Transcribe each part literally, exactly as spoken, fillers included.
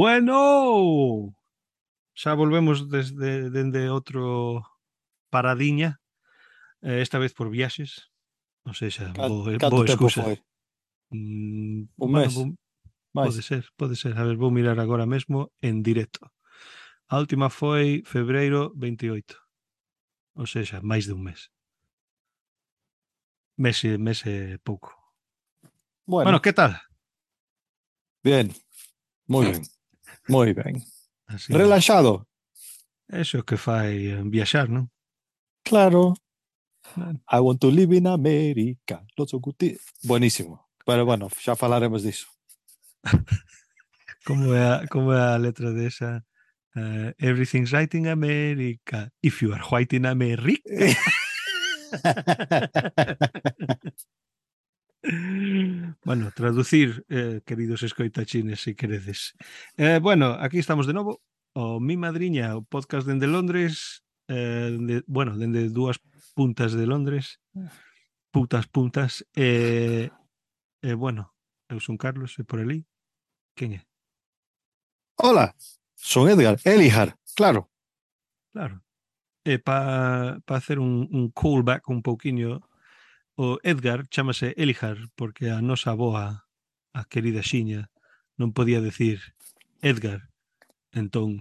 Bueno, xa volvemos desde dende outro paradiña, eh, esta vez por viaxes, ou sexa, Can- bo, Canto boa tempo excusa. foi? Mm, Un bueno, mes? vou, Mais? pode ser, pode ser. A ver, vou mirar agora mesmo en directo. A última foi febreiro veintioito, ou sexa, máis de un mes. Mes e mes e pouco. Bueno, Bueno, que tal? bien, moi ben, moi ben. Así, Relaxado? eso é o que fai eh, viaxar, non? Claro. Bueno, I want to live in America. Lots of good thi- Buenísimo. Pero bueno, xa falaremos diso. como é a, como é a letra desa? Uh, everything's right in America. If you are white in America. Bueno, traducir, eh, queridos escoitachines, se queredes. Eh, bueno, aquí estamos de novo. O Mi Madriña, o podcast dende Londres, eh, dende, bueno, dende dúas puntas de Londres, putas puntas. E, eh, eh, bueno, eu son Carlos, e por ali, quen é? Hola, son Edgar. Elijar, claro. Claro. E para pa hacer un, un callback un pouquiño, o Edgar chámase Elijar porque a nosa aboa, a querida Xiña, non podía decir Edgar, entón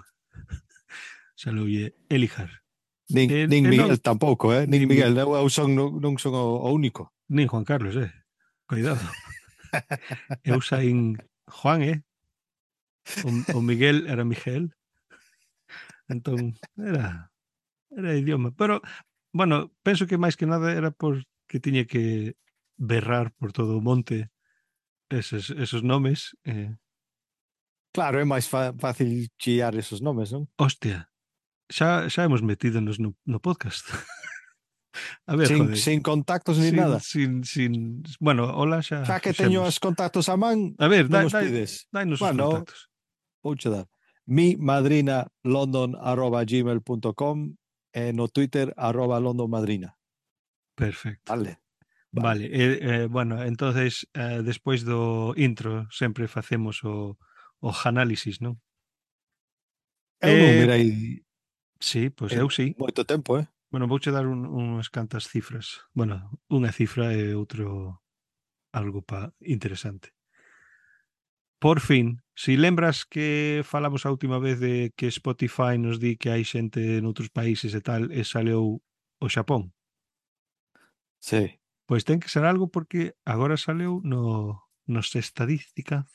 saloulle Elijar. Nin, E, nin e non, Miguel tampouco, eh? Nin nin, Mi- Miguel, eu, eu son, non, non son o, o único. nin Juan Carlos, eh? Cuidado. Eu saín Juan, eh? O, o Miguel era Miguel, entón era, era idioma. Pero, bueno, penso que máis que nada era porque tiña que berrar por todo o monte eses, esos nomes. Eh, Claro, é máis fa- fácil chiar esos nomes, non? hostia, xa, xa hemos metidonos no, no podcast. A ver, Sin, joder. sin contactos ni Sin, nada. sin, sin... Bueno, hola xa Xa que teño os fixemos. contactos a man, A ver, non dai, os dai, pides. dainos os Bueno, contactos. vouche dar. Mi madrina london arroba gmail punto com e no Twitter arroba londonmadrina. Perfecto. Vale. Vale, Vale. eh, eh, bueno, entonces eh, despois do intro sempre facemos o, o análisis, non? Eu non Eh, mirei sí, pois en eu sí. moito tempo, eh? Bueno, vouche dar un, unhas cantas cifras. Bueno, unha cifra e outro algo pa interesante. Por fin, si lembras que falamos a última vez de que Spotify nos di que hai xente noutros países e tal, e saleu o Xapón, Sí. pois ten que ser algo porque agora saleu no, nos estadística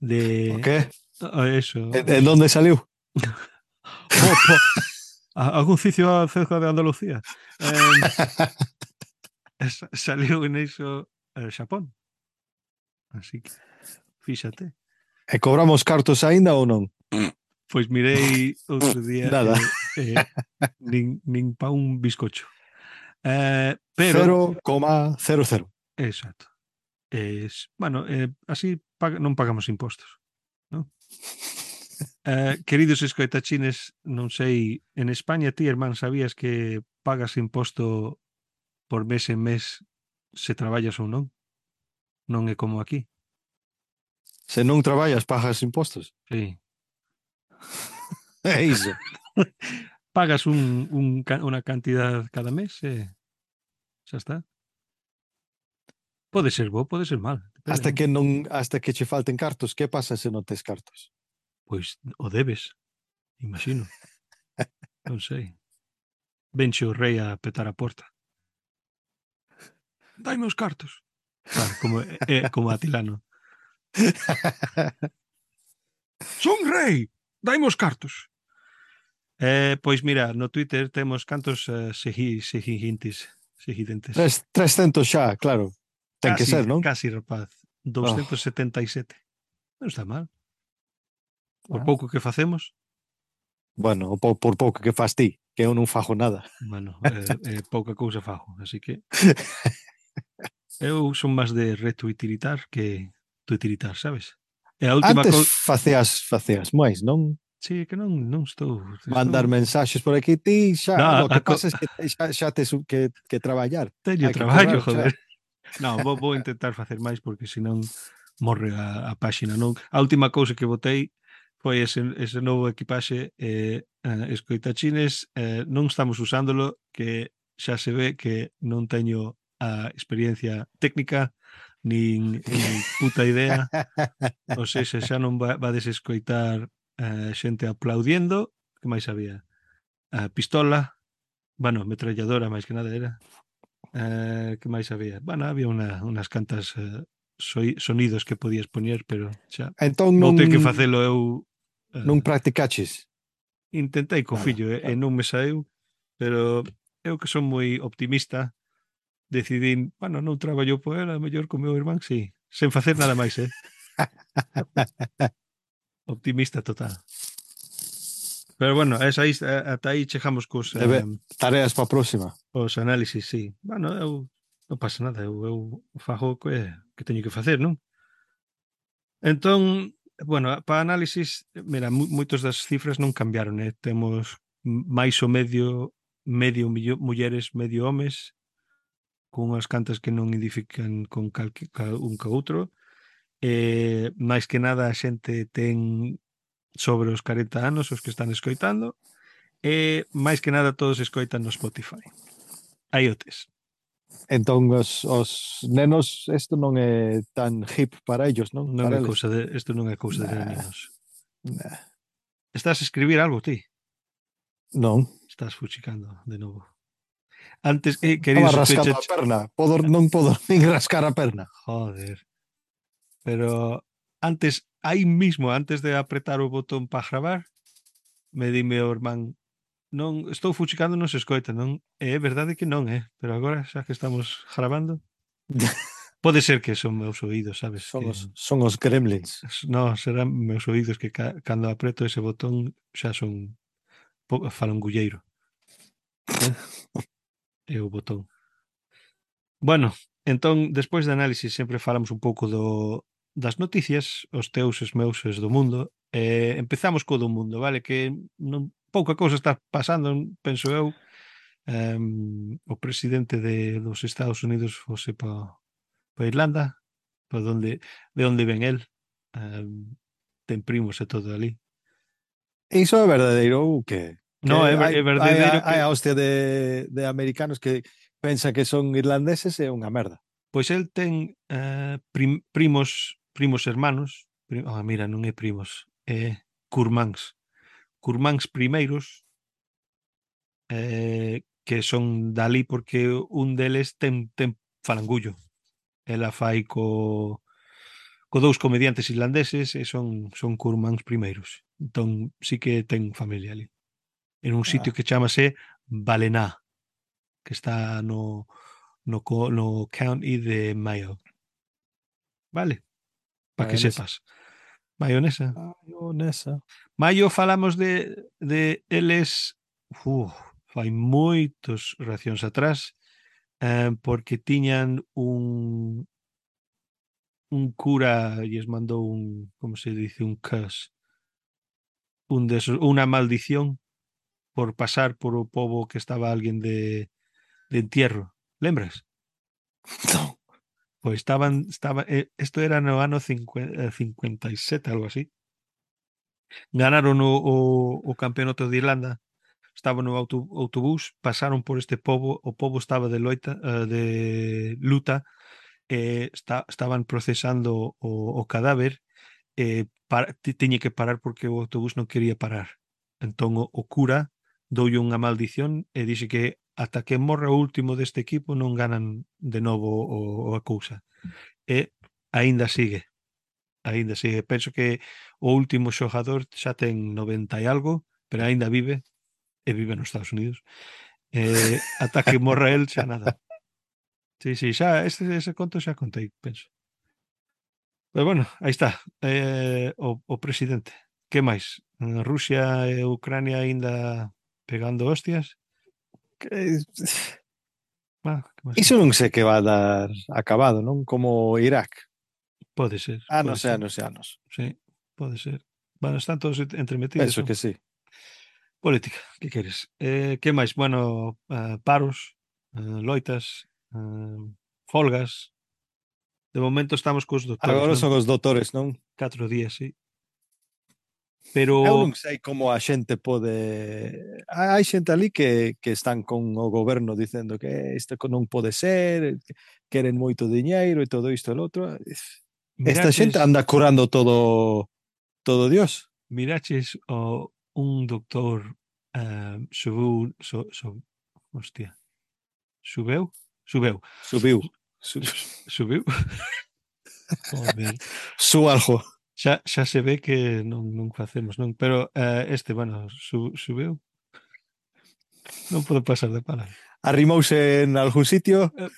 O de que? ah, eso, En, en onde saliu? opa, a- algún sitio cerca de Andalucía. Eh, es- saliu en iso eh, Xapón. Así que, fíxate. E cobramos cartos aínda ou non? Pois mirei outro día Nada. e eh, eh, nin, nin pa un bizcocho. Eh, pero, cero coma cero cero. exacto. Es, bueno, eh, así pag non pagamos impostos, non? Eh, queridos escoitachines, non sei, en España ti, hermán, sabías que pagas imposto por mes en mes se traballas ou non? Non é como aquí. Se non traballas, pagas impostos. Sí. É iso. Pagas un, un, ca- unha cantidad cada mes e xa está. Pode ser bo, pode ser mal. Depende, Hasta non? que non hasta que che falten cartos, que pasa se non tes cartos? Pois o debes, imagino. Non sei. Venche o rei a petar a porta. Daime os cartos. Claro, como, é, como Atilano. Son rei, daime os cartos. Eh, pois mira, no Twitter temos cantos uh, segui, seguintes, seguidentes. Tres, trescentos xa, claro. Ten que Casi, ser, non? casi rapaz. Oh, doscientos setenta e sete. Non está mal. Por ah. pouco que facemos. Bueno, por, por pouco que fas ti, que eu non fajo nada. Bueno, eh, eh, pouca cousa fago. Así que eu son máis de retuitilitar que tuitilitar, sabes? E a última Antes cousa... facías, facías máis, non? Sí, que non, non estou... Mandar estou... mensaxes por aquí, ti xa, No, lo a, que co... pasa es que xa, xa tes que, que traballar. teño Hai que traballo, currar xa. joder. No, vou, vou intentar facer máis porque senón morre a, a páxina, non? A última cousa que botei foi ese, ese novo equipaxe eh, eh, escoitachines, eh, non estamos usándolo, que xa se ve que non teño a experiencia técnica nin, nin puta idea, ou seja, xa non va, vades escoitar eh, xente aplaudiendo, que máis había? A pistola, bueno, metralladora máis que nada era. Eh, que máis había? Bueno, había una, unas cantas eh, soi, sonidos que podías poñer, pero xa Entón vou non, ter que facelo eu. non eh, practicaches Intentei co nada. fillo e, e non me saeu, pero eu que son moi optimista, decidín, bueno, non traballo por ela, mellor co meu irmán, sí, sen facer nada máis, eh? Optimista total. Pero bueno, esa aí, ata aí chegamos cos, Debe eh, tareas para a próxima. os análisis, sí. Bueno, eu non pasa nada, eu, eu fago o que, que teño que facer, non? Entón, bueno, para análisis, mira, mu- moitos das cifras non cambiaron, eh? Temos máis o medio, medio millo, mulleres, medio homes, con unhas cantas que non identifican con calque, ca, un ca outro. Eh, máis que nada a xente ten sobre os corenta anos os que están escoitando, e máis que nada todos escoitan no Spotify. Aí o tes. Entón os, os nenos isto non é tan hip para ellos, non? Non Para é eles. cousa de, isto non é cousa de Nah, nenos. nah. Estás a escribir algo ti? Non. Estás fuchicando de novo. Antes, eh, querido Estaba rascando sospecha, a perna. Podo, non podo nin rascar a perna. joder. Pero antes, aí mismo, antes de apretar o botón para gravar, me dime o irmán, non estou fuchicando, non se escoita, non? E é verdade que non, eh? Pero agora, xa que estamos grabando, pode ser que son meus oídos, sabes? Son Que os, son os gremlins. no, serán meus oídos que ca, cando apreto ese botón xa son po, falangulleiro, eh? É o botón. Bueno, entón, despois de análisis sempre falamos un pouco do, das noticias, os teus, os meus, os do mundo. Eh, empezamos co do mundo, vale? Que non, pouca cousa está pasando, penso eu. Um, o presidente de, dos Estados Unidos fose para pa Irlanda, pa donde, de onde ven el. Um, ten primos e todo ali. Iso é verdadeiro ou que? No, Que é, ver- hai, é hai, verdadeiro hai que a hostia de, de americanos que pensa que son irlandeses e é unha merda. pois el ten eh, prim, primos primos hermanos, prim, ah, mira, non é primos, é curmáns. Curmáns primeiros eh, que son dali porque un deles ten, ten falangullo. Ela fai co, co dous comediantes irlandeses e son, son curmáns primeiros. Entón sí que ten familia ali. En un sitio Ah, que chamase Balená, que está no, no, co- no county de Mayo. Vale? Para que mayonesa. sepas. Mayonesa. Mayonesa. Maio falamos de, de eles uf, fai moitos racións atrás, eh, porque tiñan un un cura lles mandou un, como se dice, un curse, un de esos, unha maldición por pasar por o pobo que estaba alguén de, de entierro. Lembras? Non. Pois estaban, estaba, eh, isto era no ano cincuenta, cincuenta e sete, algo así. Ganaron o, o, o campeonato de Irlanda, estaban no auto, autobús, pasaron por este pobo, o pobo estaba de loita, uh, de luta, eh, está, estaban procesando o, o cadáver, eh, para, tiñe que parar porque o autobús non quería parar. Entón o, o cura doulle unha maldición e dixe que ata que morra o último deste equipo non ganan de novo o, o a cousa. E aínda sigue, aínda sigue. Penso que o último xogador xa ten noventa e algo, pero aínda vive, e vive nos Estados Unidos. Eh, ata que morra el xa nada. Sí, sí, xa, este, ese conto xa contei, penso. Pero bueno, aí está, eh, o, o presidente. Que máis? Rusia e Ucrania aínda pegando hostias? Que- Ah, que máis Iso hai? non sei que va a dar acabado, non? Como Irak. Pode ser, pode Anos e ser. anos e anos. Sí, pode ser. Bueno, están todos entremetidos, Penso non? que sí. Política, que queres? Eh, que máis? Bueno, uh, paros, uh, loitas, uh, folgas. De momento estamos cos doutores, Agora non? son os doutores, non? Catro días, sí. Pero Eu non sei como a xente pode... Hai xente ali que, que están con o goberno dicendo que isto non pode ser, que queren moito diñeiro e todo isto e lo outro. Esta xente miraches, anda curando todo todo Dios. miraches o un doctor ah, subiu, so, so, hostia, subeu, subeu, Subiu. Su, subiu, joder, su algo. xa, xa se ve que non, non facemos, non, pero eh, este, bueno, su, subeu, non podo pasar de palabra. Arrimouse en algún sitio. Eh,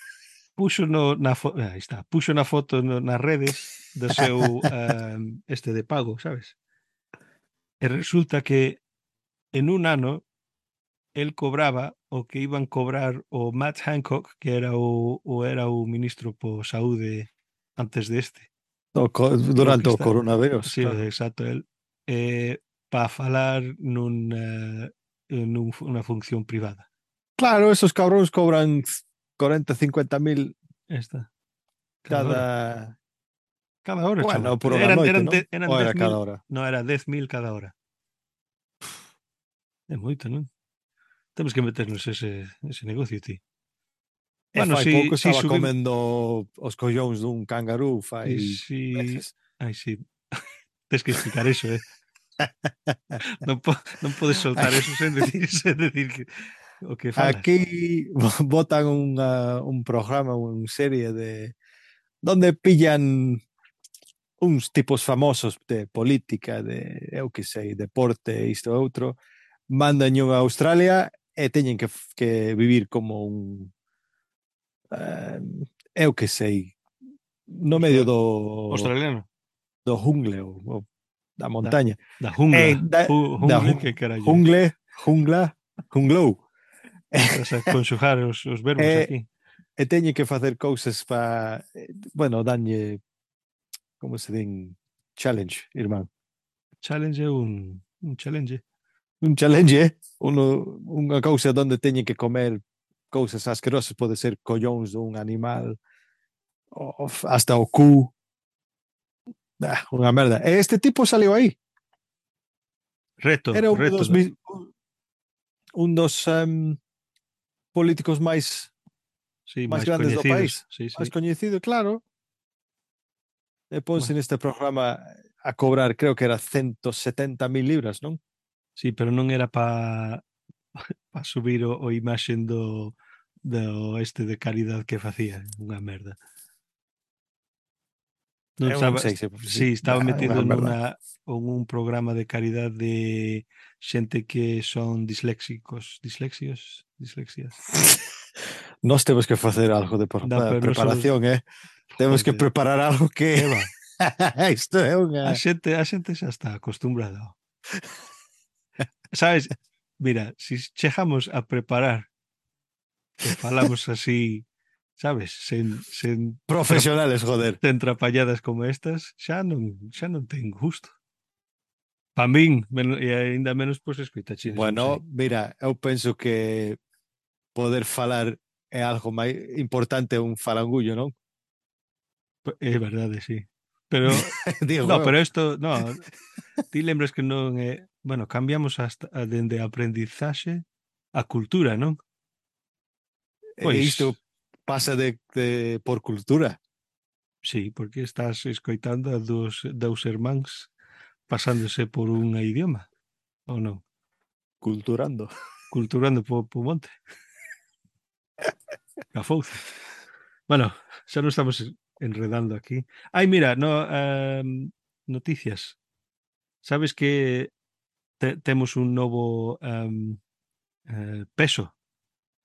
puxo no, na foto, aí está, puxo na foto no, nas redes do seu ah, este de pago, sabes? E resulta que en un ano el cobraba o que iban cobrar o Matt Hancock, que era o, o era o ministro por saúde antes deste. No, co- O que durante o está, coronavirus, sí, claro. exacto, el eh, para falar nun eh, nun, unha función privada. Claro, esos cabróns cobran cuarenta, cincuenta mil Esta, cada hora. cada... Cada hora, chaval. Bueno, por unha Eran noite, eran non? de, eran Ou dez era mil, cada hora? no era dez mil cada hora. É moito, non? Temos que meternos ese ese negocio, ti. E Bueno, fai si pouco si estaba subimos, comendo os collóns dun cangarú fai si meses. ai, si, tes que explicar eso, eh. Non, po, non podes soltar eso sen decir, sen decir que, o que falas. Aquí botan unha, un programa, unha serie de donde pillan uns tipos famosos de política, de eu que sei, deporte, isto e outro, mandan a Australia e teñen que, que vivir como un eh, eu que sei, no medio Austra- do, Australiano. do jungle ou, ou da Da, montaña. da E jungla. da, Ju- da jungle, que ju- carallo é? jungle, jungla, junglou. Estás a conxugar os, os verbos E, aquí. e teñen que facer cousas para, bueno, danlle, como se din, challenge, irmán. Challenge é un, un challenge. Un challenge, eh? Uno, unha cousa onde teñen que comer cousas asquerosas, pode ser collóns dun animal, o, hasta o cu, ah, unha merda. E este tipo saliu aí. Reto, Era un reto. dos, un dos um, políticos máis Sí, máis máis grandes do coñecidos. país, Sí, máis sí. coñecido, claro. E ponse Bueno, neste programa a cobrar, creo que era ciento setenta mil libras, non? sí, pero non era para pa subir o, o imaxen do, do este de caridade que facía. Unha merda. Non Eu non estaba, sei se, se sí, estaba bah, unha metido merda. nunha en un programa de caridade de xente que son disléxicos, dislexios, dislexias. Nós temos que facer algo de No, pero non somos, preparación, eh? Temos que joder, preparar algo que que va. isto é A unha... xente, a xente xa está acostumbrada. Sabes? Mira, si chegamos a preparar e falamos así, sabes, sen sen tra, Profesionales, joder. sen trapalladas como estas, xa non xa non ten gusto. Pa min, men, e aínda menos pois escoitachedes, non sei. Bueno, mira, eu penso que poder falar é algo máis importante un falangullo, non? É verdade, sí. Pero Digo no, eu. pero isto, no, ti lembras que non é, bueno, cambiamos hasta a dende a aprendizaxe a cultura, non? E Pois isto pasa de, de por cultura. sí, porque estás escoitando a dos dous irmáns pasándose por un idioma, ou non? Culturando. Culturando po, po monte, a fouce. Bueno, xa non estamos enredando aquí. Ai, mira, no, um, noticias. Sabes que te, temos un novo um, eh, peso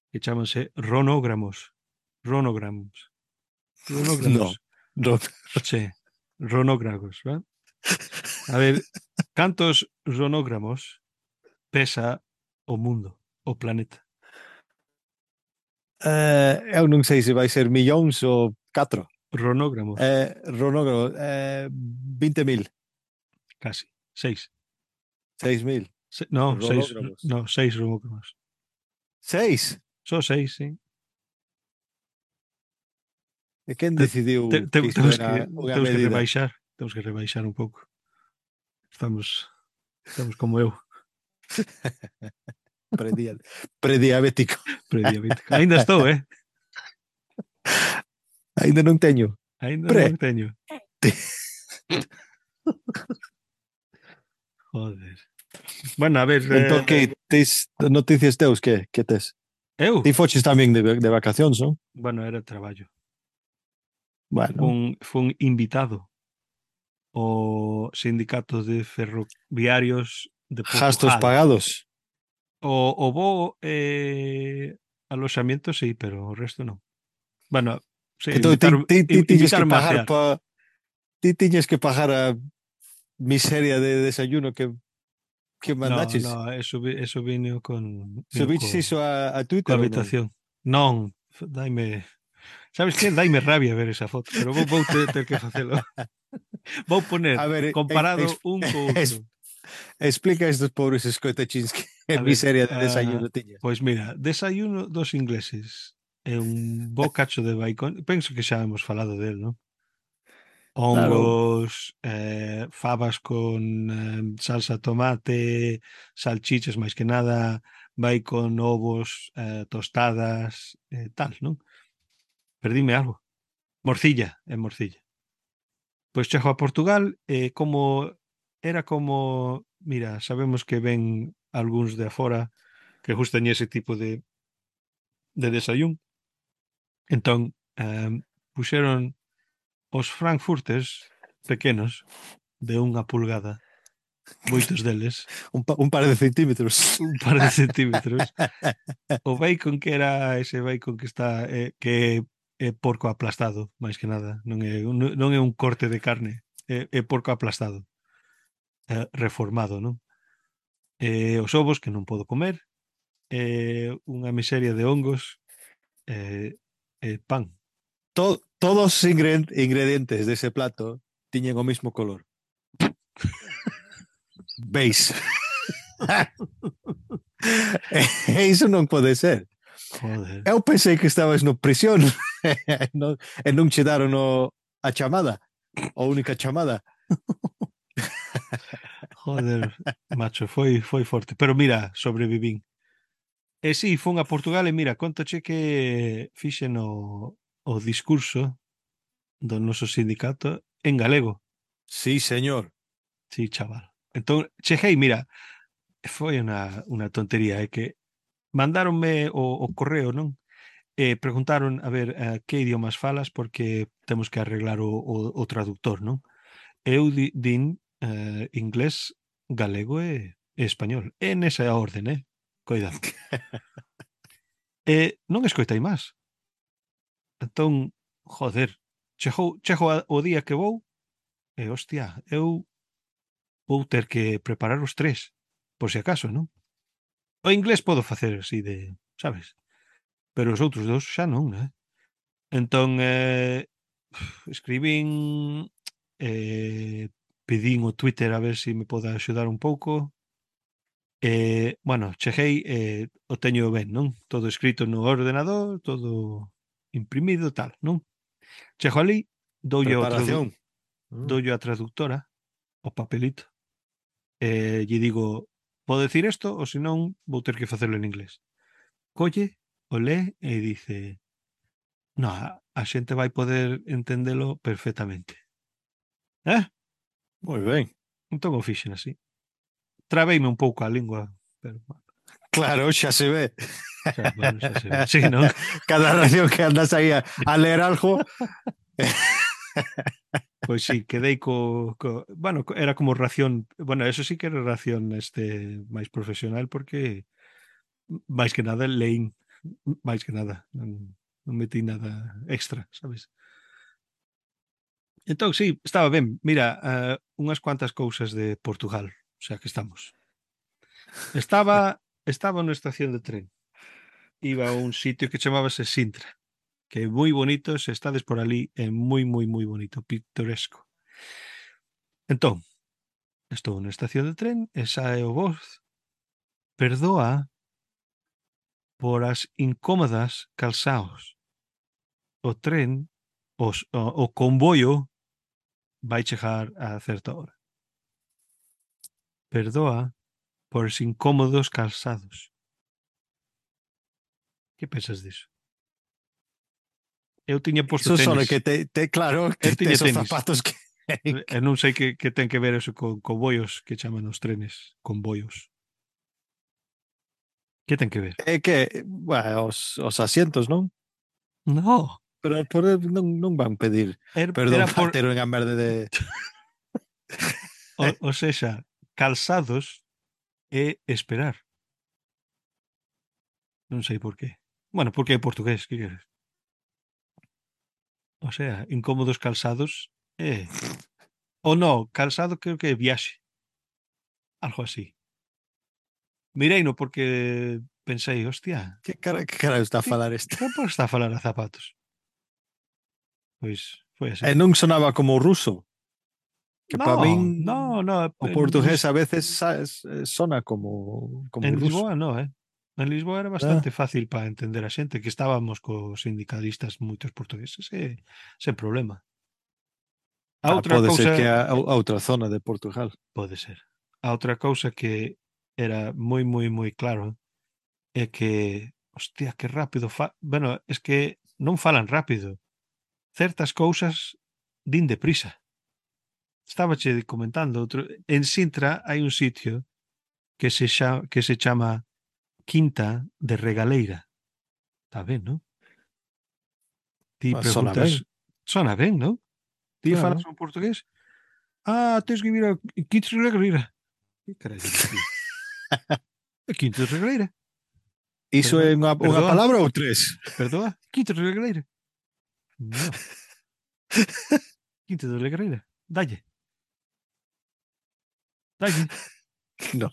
que chamanse ronogramos. Ronogramos. No, Ronogramos. no. Che, ronógrafos, ¿verdad? A ver, cantos ronogramos pesa o mundo, o planeta? Eh, eu non sei se vai ser millóns ou catro. Ronogramos, Eh, Ronogro, eh, vinte mil, casi. Seis. seis mil. Se, no, seis. Ronogramos. No, seis ronogramos. Seis? Só seis, sí. E quen Te, decidiu te, te, que isto temos era que unha temos que medida? rebaixar, temos que rebaixar un pouco. Estamos. Estamos como eu, Predial, prediabético. prediabético. Ainda estou, eh? Ainda non teño. Ainda Pre. non teño. Joder. Bueno, a ver, Entón, eh, que tes noticias teus, que, que tes? eu, Ti foches tamén de, de vacacións, non? bueno, era traballo. Bueno, Fun, fun invitado ao sindicato de ferroviarios de gastos Portugal. pagados. O, o voo eh, aloxamento sí, pero o resto non. Bueno, sí, Entón, ti, invitaron, ti, ti in- tiñes que invitaronme a pagar cear. pa... Ti tiñes que pagar a miseria de desayuno que, que No, mandaches. no, eso, vi- eso vino con, vino Subiches co, iso a, a coa Twitter ou non? habitación. Non, f- daime, sabes que? Daime rabia ver esa foto, pero vou, vou ter, ter que facelo. Vou poner A ver, ex, ex, comparado un co ex, outro. explica a estes pobres escoitachins que A ver, miseria de ah, desayuno tiñas. pois mira, desayuno dos ingleses é un bo cacho de bacon. Penso que xa hemos falado del, non? Claro, Hongos, eh, fabas con eh, salsa tomate, salchichas máis que nada, bacon, ovos, eh, tostadas, eh, tal, non? Perdíme algo. Morcilla, é morcilla. Pois chego a Portugal e eh, como era como, mira, sabemos que ven algúns de afora que gustan ese tipo de, de desayún. Entón, eh, puxeron os frankfurters pequenos de unha pulgada, moitos deles, un, pa, un par de centímetros. un par de centímetros. O bacon que era ese bacon que está eh, que é porco aplastado, máis que nada, non é un, non é un corte de carne, é, é porco aplastado, eh, reformado, non? Eh, os ovos que non podo comer, eh, unha miseria de hongos, eh, eh, pan. To, todos os ingredientes dese plato tiñen o mismo color. Beis. E iso non pode ser. Joder, Eu pensei que estabas no prisión non, e non che daron o, a chamada, a única chamada. joder, macho, foi foi forte, pero mira, sobrevivín. E si, fun a Portugal e mira, contache que fixen o, o discurso do noso sindicato en galego. Sí, señor. Sí, chaval. Entón, cheguei, mira, foi unha, unha tontería, é que mandáronme o, o correo, non? E preguntaron, a ver, eh, que idiomas falas porque temos que arreglar o, o, o traductor, non? Eu di, din eh, inglés, galego e, e español. E nesa orden, eh? Coidado. E non escoitei máis. Entón, joder, chegou, chego a, o día que vou e, hostia, eu vou ter que preparar os tres, por si acaso, non? O inglés podo facer así de, sabes? Pero os outros dous xa non, né? Entón, eh, escribín, eh, pedín o Twitter a ver se si me pode axudar un pouco. Eh, bueno, cheguei, eh, o teño ben, non? Todo escrito no ordenador, todo imprimido, tal, non? Chego ali, doulle ao tradu Preparación. Mm. doulle a traductora o papelito e lle digo, podo decir isto ou senón vou ter que facelo en inglés. Colle, o lee e dice, no, a, a xente vai poder entendelo perfectamente. Eh? Moi ben. Entón o fixen así. Trabeime un pouco a lingua, pero bueno, Claro, xa se ve. xa, bueno, xa se ve. Sí, non? Cada ración que andas aí a, a leer algo. Pois sí, quedei co, co bueno, co- era como ración, bueno, eso sí que era ración este máis profesional porque máis que nada leín, máis que nada, non, non metí nada extra, sabes? Entón, sí, estaba ben. Mira, uh, unhas cuantas cousas de Portugal, o sea que estamos. Estaba estaba na estación de tren. Iba a un sitio que chamábase Sintra, que é moi bonito, se estades por ali, é moi, moi, moi bonito, pintoresco. Entón, estou na estación de tren e sae o voz, perdoa por as incómodas calzaos. O tren, os, o, o convoio vai chegar a certa hora. perdoa por os incómodos calzados. Que pensas diso? Eu tiña posto Eso son tenis. que te, te claro, Eu te, te tiña esos tenis. zapatos que... Eu non sei que, que ten que ver eso con convoios que chaman os trenes, convoios. Que ten que ver? É que, bueno, os, os asientos, non? No, Pero por non, non van pedir era, perdón era para por, ter unha merda de... o, o sexa, calzados e esperar. Non sei por qué. Bueno, porque é portugués, que queres? O sea, incómodos calzados é... Ou no, calzado creo que é viaxe. Algo así. Mireino porque pensei, hostia, Que cara, que cara está a que, falar este? que por está a falar a zapatos? Pois foi así. E non sonaba como ruso, que para No, min no, no, o en, portugués Lis- a veces sabes, sona como, como en ruso. Lisboa no, eh? En Lisboa era Ah, bastante fácil para entender a xente, que estábamos cos sindicalistas moitos portugueses, e, sen problema. A ah, outra pode ser cousa, que a, a outra zona de Portugal. pode ser, a outra cousa que era moi, moi, moi claro é que, hostia, que rápido fa... Bueno, es que non falan rápido. Certas cousas din deprisa. Estaba che comentando outro, en Sintra hai un sitio que se xa, que se chama Quinta de Regaleira. Está ben, non? Ti Ah, sona ben, preguntas, sona ben, non? Ti falas claro. un portugués? Ah, tens que vir a Quinta de Regaleira. Que carallo dicía? A Quinta de Regaleira. Iso Perdoa, é unha, unha perdoa, palabra ou tres? perdoa. Quinta de Regaleira. No, Quinta de Regaleira. Dalle, dalle. No.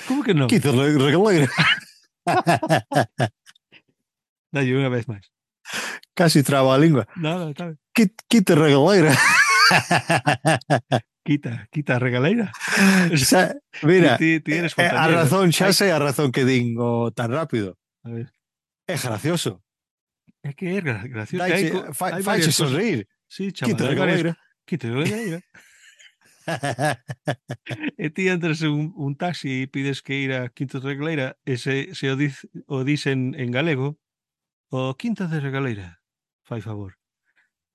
Como que non? Quinta re- regaleira. Dalle unha vez máis. Casi traba a lingua. Nada, está ben. Qui- Quinta regaleira. Quita, quita a regaleira. Xa, Ti, mira, ti, ti eh, eres eh, a fontañero. razón, xa Hai, sei a razón que din o tan rápido. a ver, É gracioso. é que é gra- gracioso. Hai, Daiche, co- fai, hai faiche varias cosas. sonreír. Sí, chaval, Quinta hai varias. regaleira. Quita a regaleira. E ti entras en un, un taxi e pides que ir a Quinta de Regaleira e se, se o, diz, o dicen en galego, o Quinta de Regaleira, fai favor.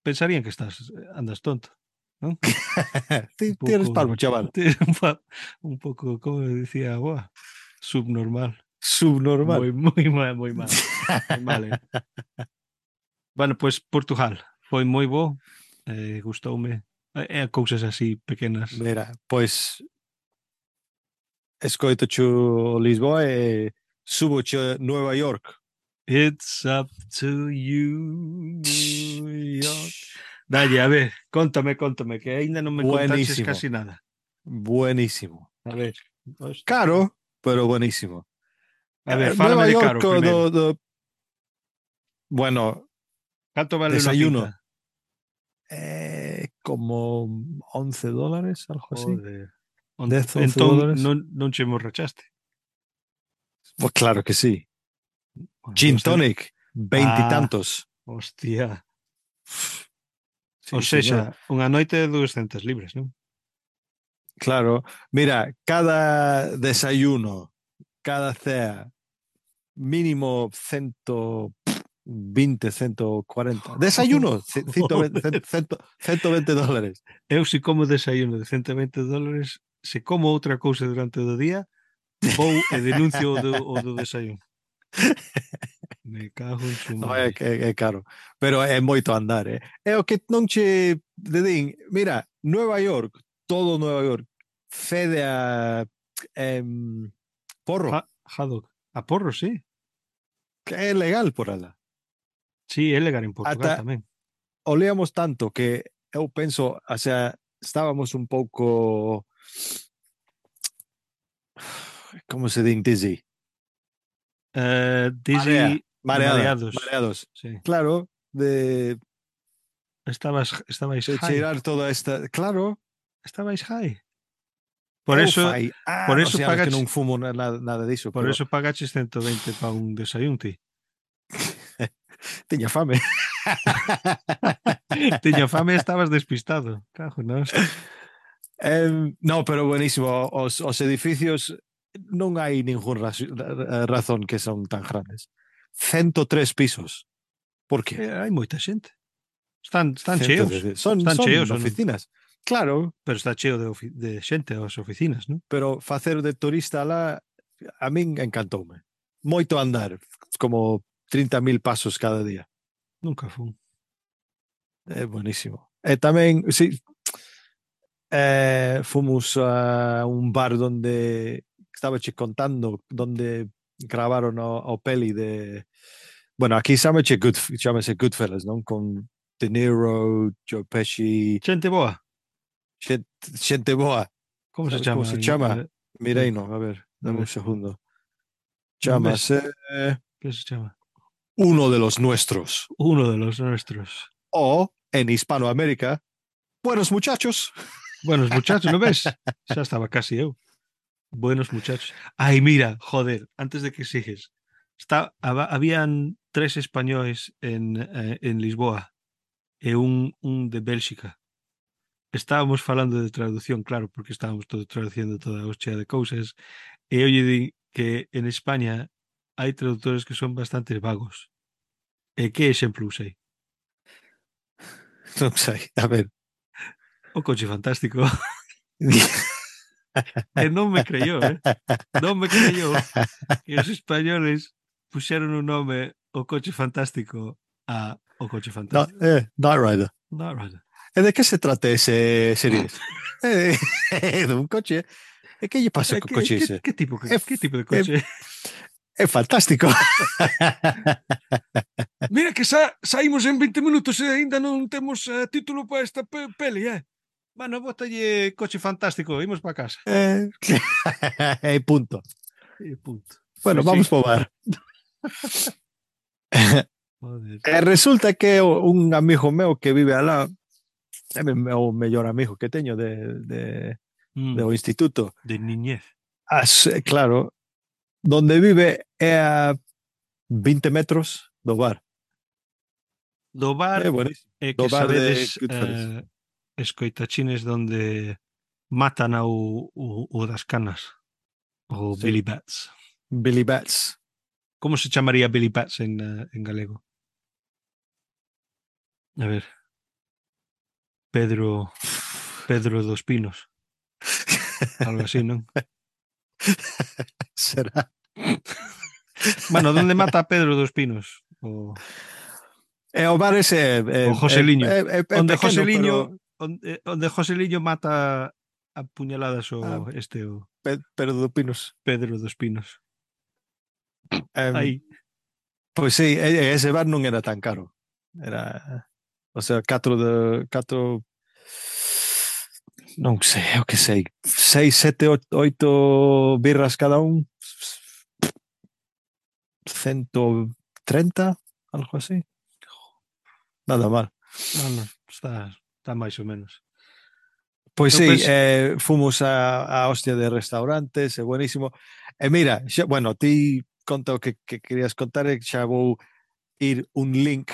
Pensarían que estás, andas tonto, non? Un Ti, ti eres pouco, palmo, chaval. un, pa- un pouco, como decía a boa, subnormal. Subnormal. Moi, moi mal, moi mal. Moi mal, eh? Bueno, pois pues, Portugal foi moi bo, eh, gustoume. É eh, cousas así pequenas. Mira, pois escoito chu Lisboa e subo chu Nueva York. It's up to you, New York. Dalle, a ver, contame, contame, que aínda non me contaches Buenísimo, casi nada. buenísimo. A ver, hostia. Caro, pero buenísimo. A ver, Eh, fálame Nueva de York caro primeiro. do, do bueno, Canto vale unha desayuno pinta? eh, como once dólares, algo así. Joder. Onte, diez, once entón dólares. non, non che emborrachaste. Pues claro que sí. Bueno, Gin bastante. tonic, Ah, veintitantos. hostia. Ou Sí, sexa, señor. unha noite de doscientas libras, non? Claro. Mira, cada desayuno, cada cea, mínimo ciento veinte, ciento cuarenta. Desayuno, ci- ciento veinte, Joder. ciento, ciento veinte dólares. Eu se como desayuno de ciento veinte dólares, se como outra cousa durante o día, vou e denuncio o do, o do desayuno. Me cago en su No, é, madre. é, é caro. Pero é moito andar, eh? É o que non che dedín. Mira, Nueva York, todo Nueva York, fede a em, porro, Ha, haddock. A porro, sí. que é legal por ala. Sí, é legal en Portugal Ata tamén. olíamos tanto que eu penso, o sea, estábamos un pouco, como se din dizzy? Uh, Marea, Dizzy de mareada, mareados. mareados. Sí. Claro, de, Estabas, estabais de high. cheirar toda esta... Claro, Estabais high. Por eu eso, fai por anos eso e anos que non pagaches, fumo nada, nada diso, por pero eso pagaches ciento veinte para un desayuno, ti. tiña fame. Tiña fame e estabas despistado. Cajo, na hostia. Eh, no, pero buenísimo. Os, os edificios non hai ningún ra razón que son tan grandes. ciento tres pisos. Por qué? Eh, hai moita xente. Están, están ciento cheos. tres. Son, Están son cheos ou non? oficinas. Claro, Pero está cheo de, de xente as oficinas, non? pero facer de turista lá a min encantoume. Moito andar, como trinta mil pasos cada día. Nunca fun. É buenísimo. E tamén, sí, eh, fomos a un bar donde estaba che contando donde gravaron o, o peli de bueno, aquí chámase Good, chámase Goodfellas, non? Con De Niro, Joe Pesci, Xente boa. xente, xente boa. Como se Sabes como chama? se En, chama? eh, en, Mireino, a ver, a dame un ver, segundo. non ves? Chámase eh, Que se chama? Uno de los Nuestros. Uno de los nuestros. O, en Hispanoamérica, Buenos Muchachos. Buenos muchachos, non ves? Xa estaba casi eu. Buenos muchachos. Ai, mira, joder, antes de que sigues. Está, haba- habían tres españoles en, eh, en Lisboa e un, un de Bélxica. Estábamos falando de traducción, claro, porque estábamos todo traduciendo toda a hostia de cousas. E eu lle di que en España hai traductores que son bastante vagos. E que exemplo usei? Non sei, a ver. O coche fantástico. E non me creyó, eh? Non me creyó que os españoles puxeron un nome o coche fantástico a o coche no, fantástico. eh, Knight Rider. No, right. E de que se trata ese series? É de, de un coche. E que lle pasa Eh, co que, coche que, ese? que tipo que, É, que tipo de é, coche? é fantástico. Mira que sa, saímos en veinte minutos e aínda non temos uh, título para esta pe peli, eh? Bueno, botalle coche fantástico, imos para casa. É, e punto. E punto. Bueno, Pois sí. vamos pro bar. Joder. E resulta que un amigo meu que vive alá é o mellor amigo que teño de, de, Mm, do instituto. de niñez. As, claro, donde vive é a vinte metros do bar. Do bar É buenísimo. é Do que bar de sabedes Goodfellas. uh, escoitachines donde matan ao o, o das canas, o Sí. Billy Bats. Billy Bats. Como se chamaría Billy Bats en, uh, en galego? A ver. Pedro Pedro dos Pinos. Algo así, non? Será. Bueno, donde mata a Pedro dos Pinos? O, E o bar ese é, é, o Joseliño. é, é, é Onde pequeno, Joseliño pero onde, onde Joseliño mata a puñaladas ah, o este o pe, pero do Pinos. Pedro dos Pinos. Um, Aí. pois sí, e- ese bar non era tan caro. Era, o sea, catro de catro non sei, o que sei, seis, sete, oito birras cada un, ciento treinta, algo así. Nada mal. No, no, está, está máis ou menos. Pois Eu sí, penso, eh, fomos a, a hostia de restaurantes, é buenísimo. E mira, xa, bueno, ti conta o que, que querías contar e xa vou ir un link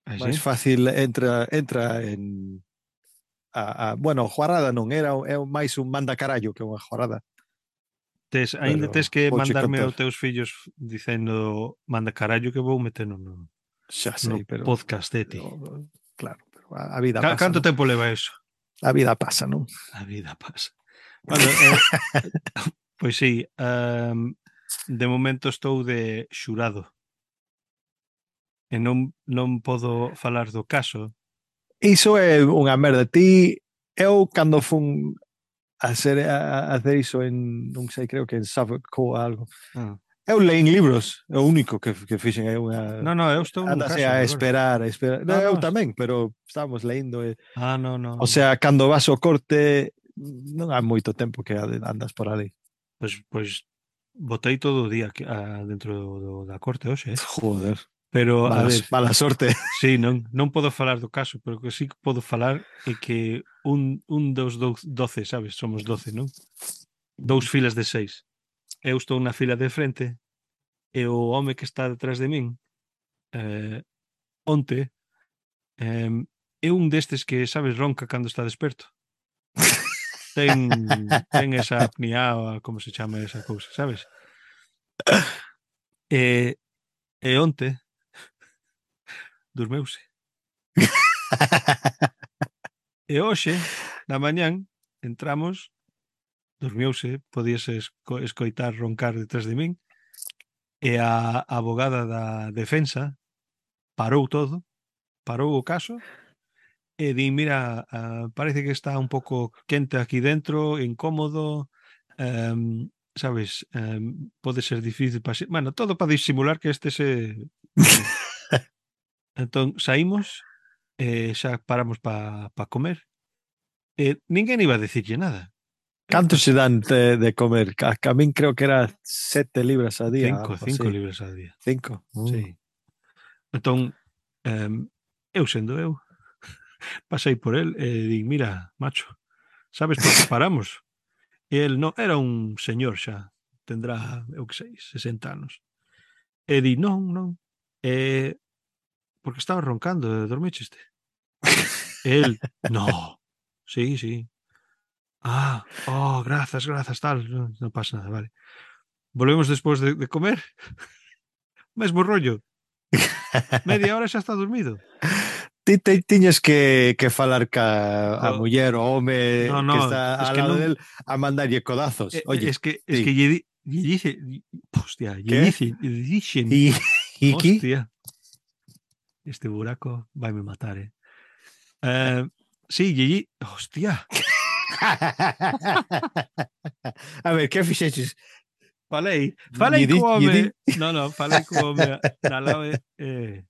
aí sí. máis fácil, entra entra en a, a bueno, juarada non era é máis un manda carallo que unha juarada, Tes, ainda tes pero que vouche mandarme contar. aos teus fillos dicendo manda carallo que vou metendo no, Xa no sei, pero podcast de ti. o- claro, pero a, a vida Ca- pasa, Canto non? tempo leva eso? A vida pasa, non? A vida pasa. Bueno, eh, pois sí, um, de momento estou de xurado e non, non podo falar do caso. Iso é unha merda. Ti, eu cando fun a hacer, a, a hacer iso en, non sei, creo que en Suffolk ou algo. Ah. Eu leín libros, é o único que, que fixen é unha No, no, eu estou nun andase caso a agora. esperar, a esperar. No, No, eu no. tamén, pero estábamos lendo e, Ah, no, no, o no. sea, cando vas ao corte non hai moito tempo que andas por ali. Pois, pois botei todo o día que, ah, dentro do, do, da corte hoxe, eh? Joder, Pero, a mala, ver, mala sorte. sí, non, non podo falar do caso, pero que sí que podo falar é que un, un dos dou- doce, sabes? Somos doce, non? Dous filas de seis. Eu estou na fila de frente e o home que está detrás de min eh, onte eh, é un destes que, sabes, ronca cando está desperto. ten, ten esa apnea, ou como se chama esa cousa, sabes? E, e onte dormeuse. E hoxe, na mañán, entramos, dormiouse, podíase esco- escoitar roncar detrás de min, e a abogada da defensa parou todo, parou o caso, e di, mira, ah, parece que está un pouco quente aquí dentro, incómodo, em, sabes, em, pode ser difícil para... Bueno, todo para disimular que este se... Bueno, entón saímos, e xa paramos para pa comer, e ninguén iba a decirlle nada. Eh, ¿Canto pues se dan de, de comer? A, a mí creo que era sete libras a día, cinco, algo cinco así. libras ao día. Cinco. Mm. Sí. Entón, em, eu sendo eu, pasei por el e di, mira, macho, sabes por que paramos? E el non, era un señor xa, tendrá, eu que sei, sesenta anos. E di, non, non, é porque estaba roncando, e dormicheste. E el, no, sí, sí. Ah, oh, grazas, grazas, tal, non, non pasa nada, vale. Volvemos despois de, de comer, mesmo rollo, media hora xa está dormido. Ti te, tiñes que, que falar ca a Jo, muller o no, home que no, está es ao que lado non, del a mandarlle codazos. eh, Oye, es que, es que ti, lle, di- lle dice, hostia, lle que? dice, lle dixen, E, e aquí? hostia, este buraco vai me matar, eh. Eh, sí, lle, di- hostia, A ver, que fixeches? falei, Lle falei di, co lle di? home, no, no, falei co home na lave, eh,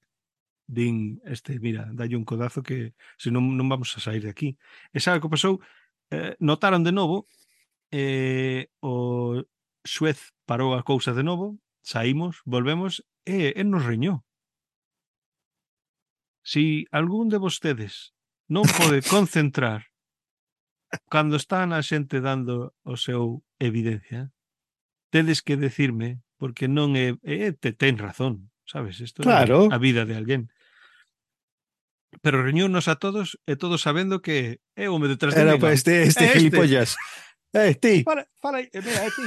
din, este, mira, dalle un codazo que se non, non vamos a sair de aquí. E sabe o que pasou? Eh, notaron de novo, eh, o xuez parou a cousa de novo, saímos, volvemos, e el nos reñou. Si algún de vostedes non pode concentrar cando están a xente dando o seu evidencia, tedes que decirme, porque non é, é te ten razón, sabes? Isto é a Claro, vida de alguén. Pero reuniónnos a todos e todos sabendo que é o home detrás de era min, para ó. este, este É este. gilipollas. Eh, ti, Fala, fala, aí, eh, mira, é ti.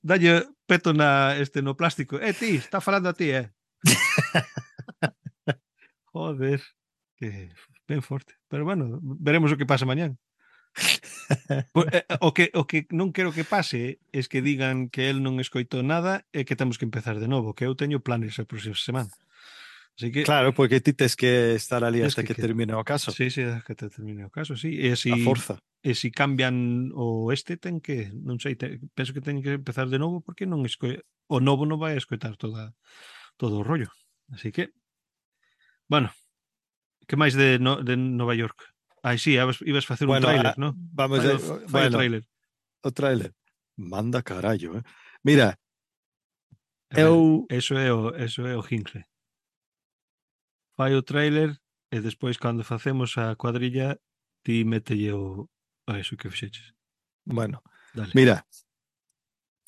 Dalle peto na este no plástico. É ti, está falando a ti, eh. Joder, que ben forte. Pero bueno, veremos o que pasa mañán. Po- eh, eh, O que o que non quero que pase es que digan que el non escoitou nada e que temos que empezar de novo, que eu teño planes a próxima semana. Así que claro, porque ti tes que estar ali tes hasta que, que que termine o caso, sí, sí, que te termine o caso, sí. E a si forza. e si cambian o este ten que, non sei, te, penso que ten que empezar de novo porque non esco, o novo non vai a escoitar toda todo o rollo. Así que, bueno, que máis de, no, de Nova York? Ai, sí, ibas, ibas facer un Bueno, tráiler, a, no? vamos Fai a, o, fai o bueno, tráiler. o trailer. Manda carallo, eh. Mira, A ver, eu eso é o, eso é o Hinkle. Fai o tráiler e despois cando facemos a cuadrilla ti mételle o a eso que fixeches. bueno, Dale. mira,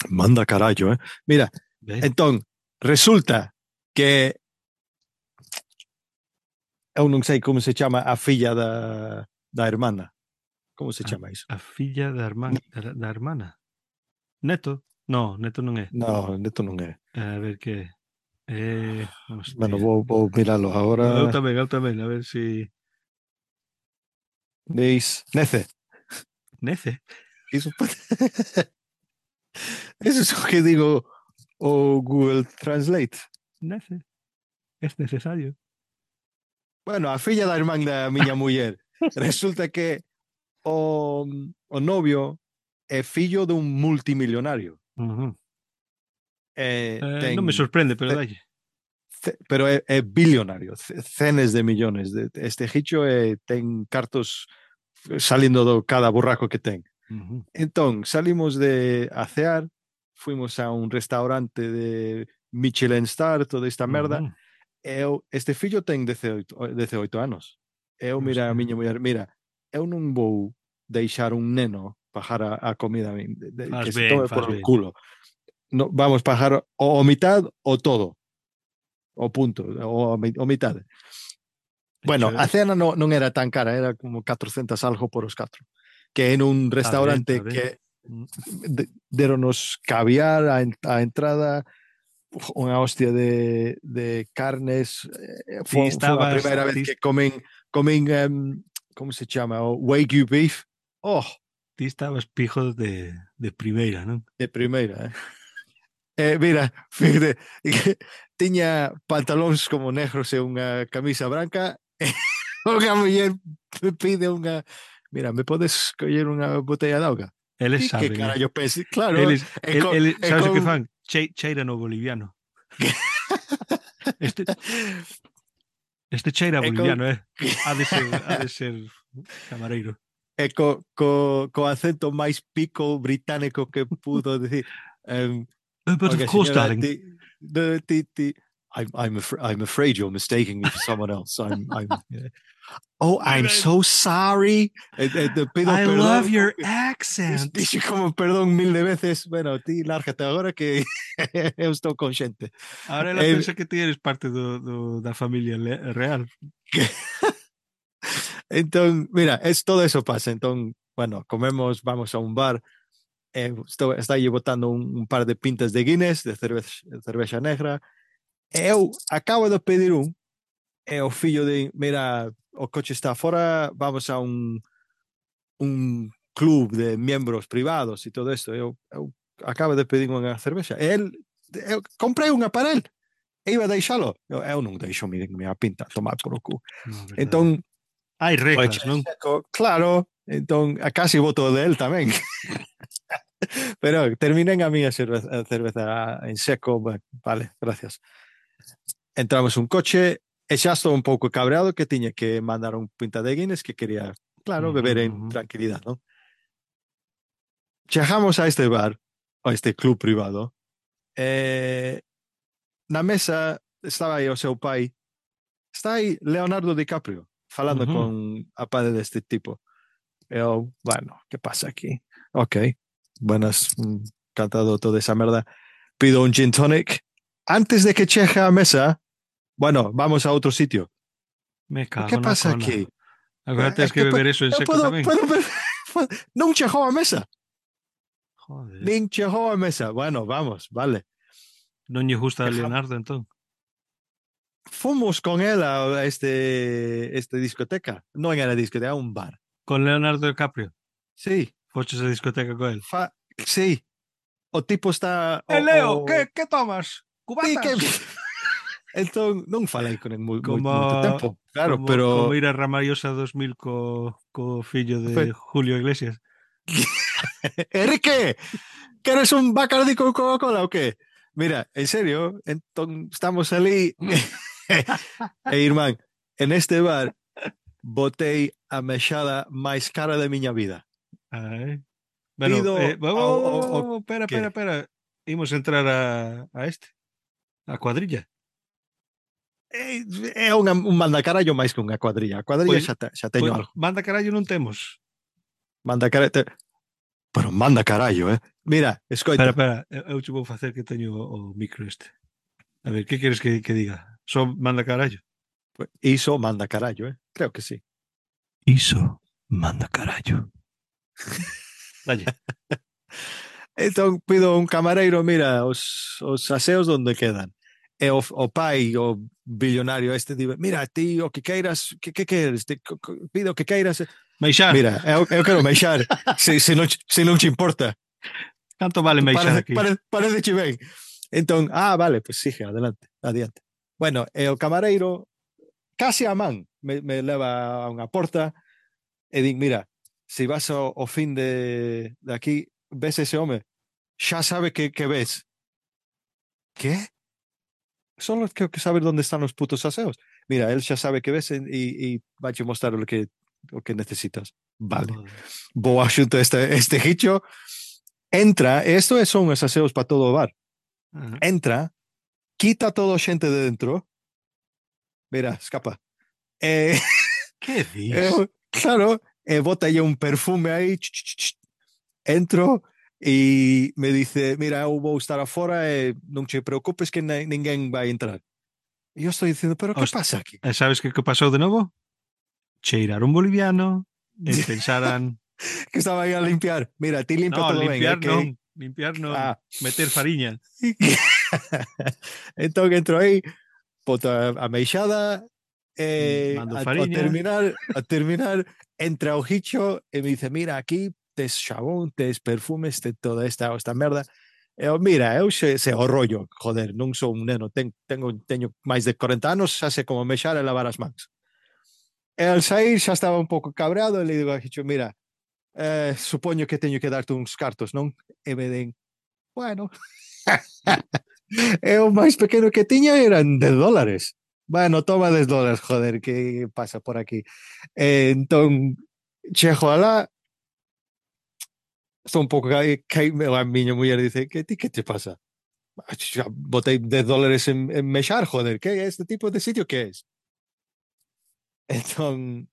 manda carallo, eh. Mira, Ben, entón, resulta que eu non sei como se chama a filla da, da hermana. Como se a, chama iso? a filla da, herman, da, da hermana. Neto? No, neto non é. No, neto non é. A ver que é. Eh, Bueno, hostia. vou, vou miralo Eu agora. tamén, eu tamén, a ver si... Dis, Nece. Nece? Iso, eso é o que digo o Google Translate. Nece. Es necesario. Bueno, a filla da irmán da miña muller. Resulta que o, o novio é fillo dun multimillonario. Uh -huh. Eh, eh, non me ten, sorprende, pero ce, dalle. ce, pero é, é billonario, cenes de millones. De, este hicho é, ten cartos salindo do cada burraco que ten. Uh -huh. Entón, salimos de a cear, fuimos a un restaurante de Michelin Star, toda esta merda. Uh -huh. Eu, este fillo ten dezenoito, dezenoito anos. Eu, mira, a Hostia. miña muller, mira, eu non vou deixar un neno pagar a, a comida de, de, Faz que se ben, tome faz por el ben. culo. No, vamos pagar o, o mitad o todo. O punto, o, o mitad. Bueno, Hecho, a cena no, non era tan cara, era como catrocentos algo por os catro. que en un Está ben, restaurante está ben. que de, deronos caviar a, a entrada, unha hostia de, de carnes. Eh, Ti foi, foi a estabas, primeira vez ti, que comen, comen um, como se chama? O Wagyu beef. Oh, ti estabas pijo de, de primeira, non? de primeira, eh. Eh, mira, fíjate, tiña pantalóns como negros e unha camisa branca. Unha muller pide unha, mira, me podes coller unha botella de auga? Eles E que saben, eh? carallo pense? Claro, Eles, e el, con, el, e sabes o que con... fan? Che, cheira no boliviano. Este, este cheira e con, boliviano, eh? Ha de ser, ha de ser camareiro. e co, co, co acento máis pico británico que pudo decir. Um, Uh, but of okay, course, señora, darling. ti, de, ti, ti, I'm, I'm, afra- I'm afraid you're mistaking me for someone else. I'm, I'm, oh, I'm so sorry. Eh, eh, te pido I love perdón. your accent. Dixe como perdón mil de veces. Bueno, ti lárgate agora que eu estou consciente. Ahora ela Eh, pensa que ti eres parte do, do, da familia le- real. entón, mira, es, todo eso pasa. Entón, bueno, comemos, vamos a un bar. Eh, estou, está aí botando un, un par de pintas de Guinness, de cervexa, de cervexa negra. Eu acabo de pedir un. E o fillo de, mira, o coche está fora, vamos a un, un club de miembros privados e todo isto. Eu, eu acabo de pedir unha cervexa. E el, eu comprei unha para el. E iba a deixalo. Eu, eu non deixo mi, mi pinta, tomar por o cu. No, verdade. Entón, Hai o reglas, eche non? seco, claro, entón, a casi voto de él tamén. Pero terminen a miña cerveza, a cerveza en seco. Bueno, vale, gracias. Entramos un coche e xa estou un pouco cabreado que tiña que mandar un pinta de Guinness que quería, claro, Ujú, beber en ujú. tranquilidad, ¿no? Chegamos a este bar, a este club privado, e na mesa estaba aí o seu pai, está aí Leonardo DiCaprio, falando Ujú. con a padre deste tipo. Eu, bueno, que pasa aquí? Ok, buenas, mm, cantado toda esa merda. Pido un gin tonic. Antes de que cheje a mesa, bueno, vamos a outro sitio. Me Que cago na pasa cona. aquí? Agora É tens que que beber eso en eu seco podo, tamén. podo beber. Non chegou a mesa. Joder. Nin chegou a mesa. Bueno, vamos, vale. Non lle gusta a Dejamos. Leonardo, entón. Fomos con él a este, este discoteca. Non era discoteca, era un bar. Con Leonardo DiCaprio. Sí. Foches a discoteca con él. Fa... Sí. O tipo está... O, Eh, Leo, o... que, que tomas? Sí, Cubatas? que... entón, non falei con él moi, moi, Como, moito tempo. Claro, como, pero... como ir a Ramallosa dos mil co, co fillo de Julio Iglesias. Enrique, queres un Bacardi con Coca-Cola o qué? Mira, en serio, entón estamos ali e irmán, en este bar botei a mexada máis cara da miña vida. Ai. Bueno, Pido eh, vamos, ao, ao, vamos, ao vamos, espera, espera, que espera. Imos entrar a, a este, a cuadrilla. é, é unha, un mandacarallo máis que unha cuadrilla. A cuadrilla Pois, xa, te, xa teño pois algo. manda carallo non temos. Mandacarallo, te... pero manda carallo, eh? Mira, Espera, escoita. espera, eu, eu te vou facer que teño o, o micro este. A ver, que queres que, que diga? Só manda carallo. Iso manda carallo, eh? Creo que sí. Iso manda carallo. Dalle. Entón pido un camareiro, mira, os, os aseos onde quedan. E o, o pai, o billonario este, dibe, mira, ti o que queiras, que, que queres? Te, co, co, pido o que queiras. Meixar. Mira, eu, eu quero meixar, se, se, non, se non te importa. Canto vale meixar Parece, aquí? parece, parece che ben. Entón, ah, vale, pues sigue, adelante, adiante. Bueno, e o camareiro, casi a man, me, me leva a unha porta e din, mira, se vas ao, ao fin de, de aquí, ves ese home, xa sabe que, que ves. ¿Qué? Solo creo que saber dónde están los putos aseos. Mira, él ya sabe que ves y, y va a mostrar lo que, lo que necesitas. Vale. Joder. Vou axunto este, este hicho. Entra, esto son os aseos para todo o bar. Ajá. Entra, quita todo a xente de dentro. Mira, escapa. Eh, Que dis? eh, claro, eh, bota aí un perfume aí. Ch, ch, ch. Entro e me dice, mira, eu vou estar afora e non te preocupes que ninguén vai entrar. E eu estou dicindo, pero que Host- pasa aquí? E sabes que que pasou de novo? Cheirar un boliviano e pensaran que estaba aí a limpiar. Mira, ti limpia No, todo ben, eh, limpiar que... non, limpiar non, Ah. meter fariña. Entón entro aí, boto a, a meixada, e Mando a, a fariña. terminar, a terminar, entra o Hicho e me dice, mira, aquí tes xabón, tes perfumes, tes toda esta, esta merda. Eu, mira, eu xe, xe o rollo, joder, non sou un neno, ten, tengo, teño máis de corenta anos, xa sei como mexar e lavar as mans. E al sair xa estaba un pouco cabreado e le digo a Hicho, mira, eh, supoño que teño que darte uns cartos, non? E me den, bueno, e o máis pequeno que tiña eran dez dólares. Bueno, toma dez dólares, joder, que pasa por aquí. E, entón, chego alá, estou un pouco que, que a miña muller dice, que ti que te pasa? Xa botei dez dólares en, en mexar, joder, que é este tipo de sitio que es? Entón,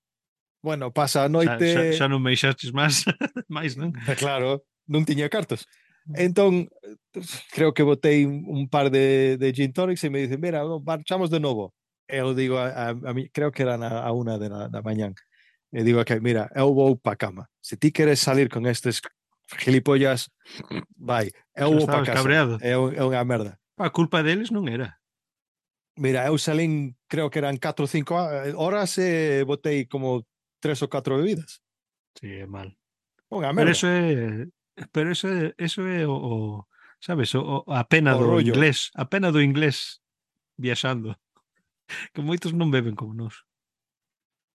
bueno, pasa a Xa, xa, noite, xa non me deixastes máis, máis, non? claro, non tiña cartos. Entón, creo que botei un, un par de, de gin tonics e me dice, mira, marchamos de novo. Eu digo a, a, a mí, creo que era a, a una de la, da mañán. E digo que, mira, eu vou pa cama. Se ti queres salir con estes gilipollas, vai. Eu Xa vou pa estabas casa. cabreado. É, un- é unha merda. A culpa deles non era. Mira, eu salín, creo que eran catro ou cinco horas e botei como tres ou catro bebidas. Sí, é mal. Unha Pero merda. eso é, pero eso é, eso é o, o sabes, o, a pena O do rollo. inglés, a pena do inglés viaxando, que moitos non beben como nós.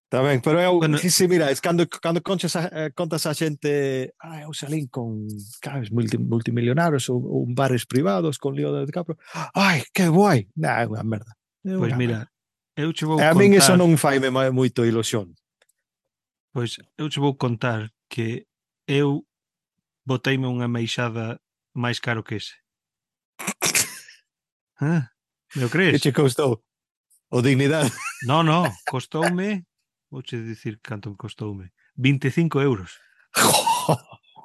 Tamén, pero eu, Bueno, sí, sí, mira, es cando, cando conchas a, eh, contas a xente, ah, eu salín con, sabes, multi, multimillonarios ou, ou bares privados con Leo DiCaprio. Ai, que guai. Nah, é unha merda. É pois unha mira, merda. eu che E vou a min eso contar, non faime moito ilusión. pois eu che vou contar que eu boteime unha meixada máis caro que ese. Ah, me o Que crees? che costou? O dignidade. No, no, costoume, vouche dicir canto me costoume, vinte e cinco euros.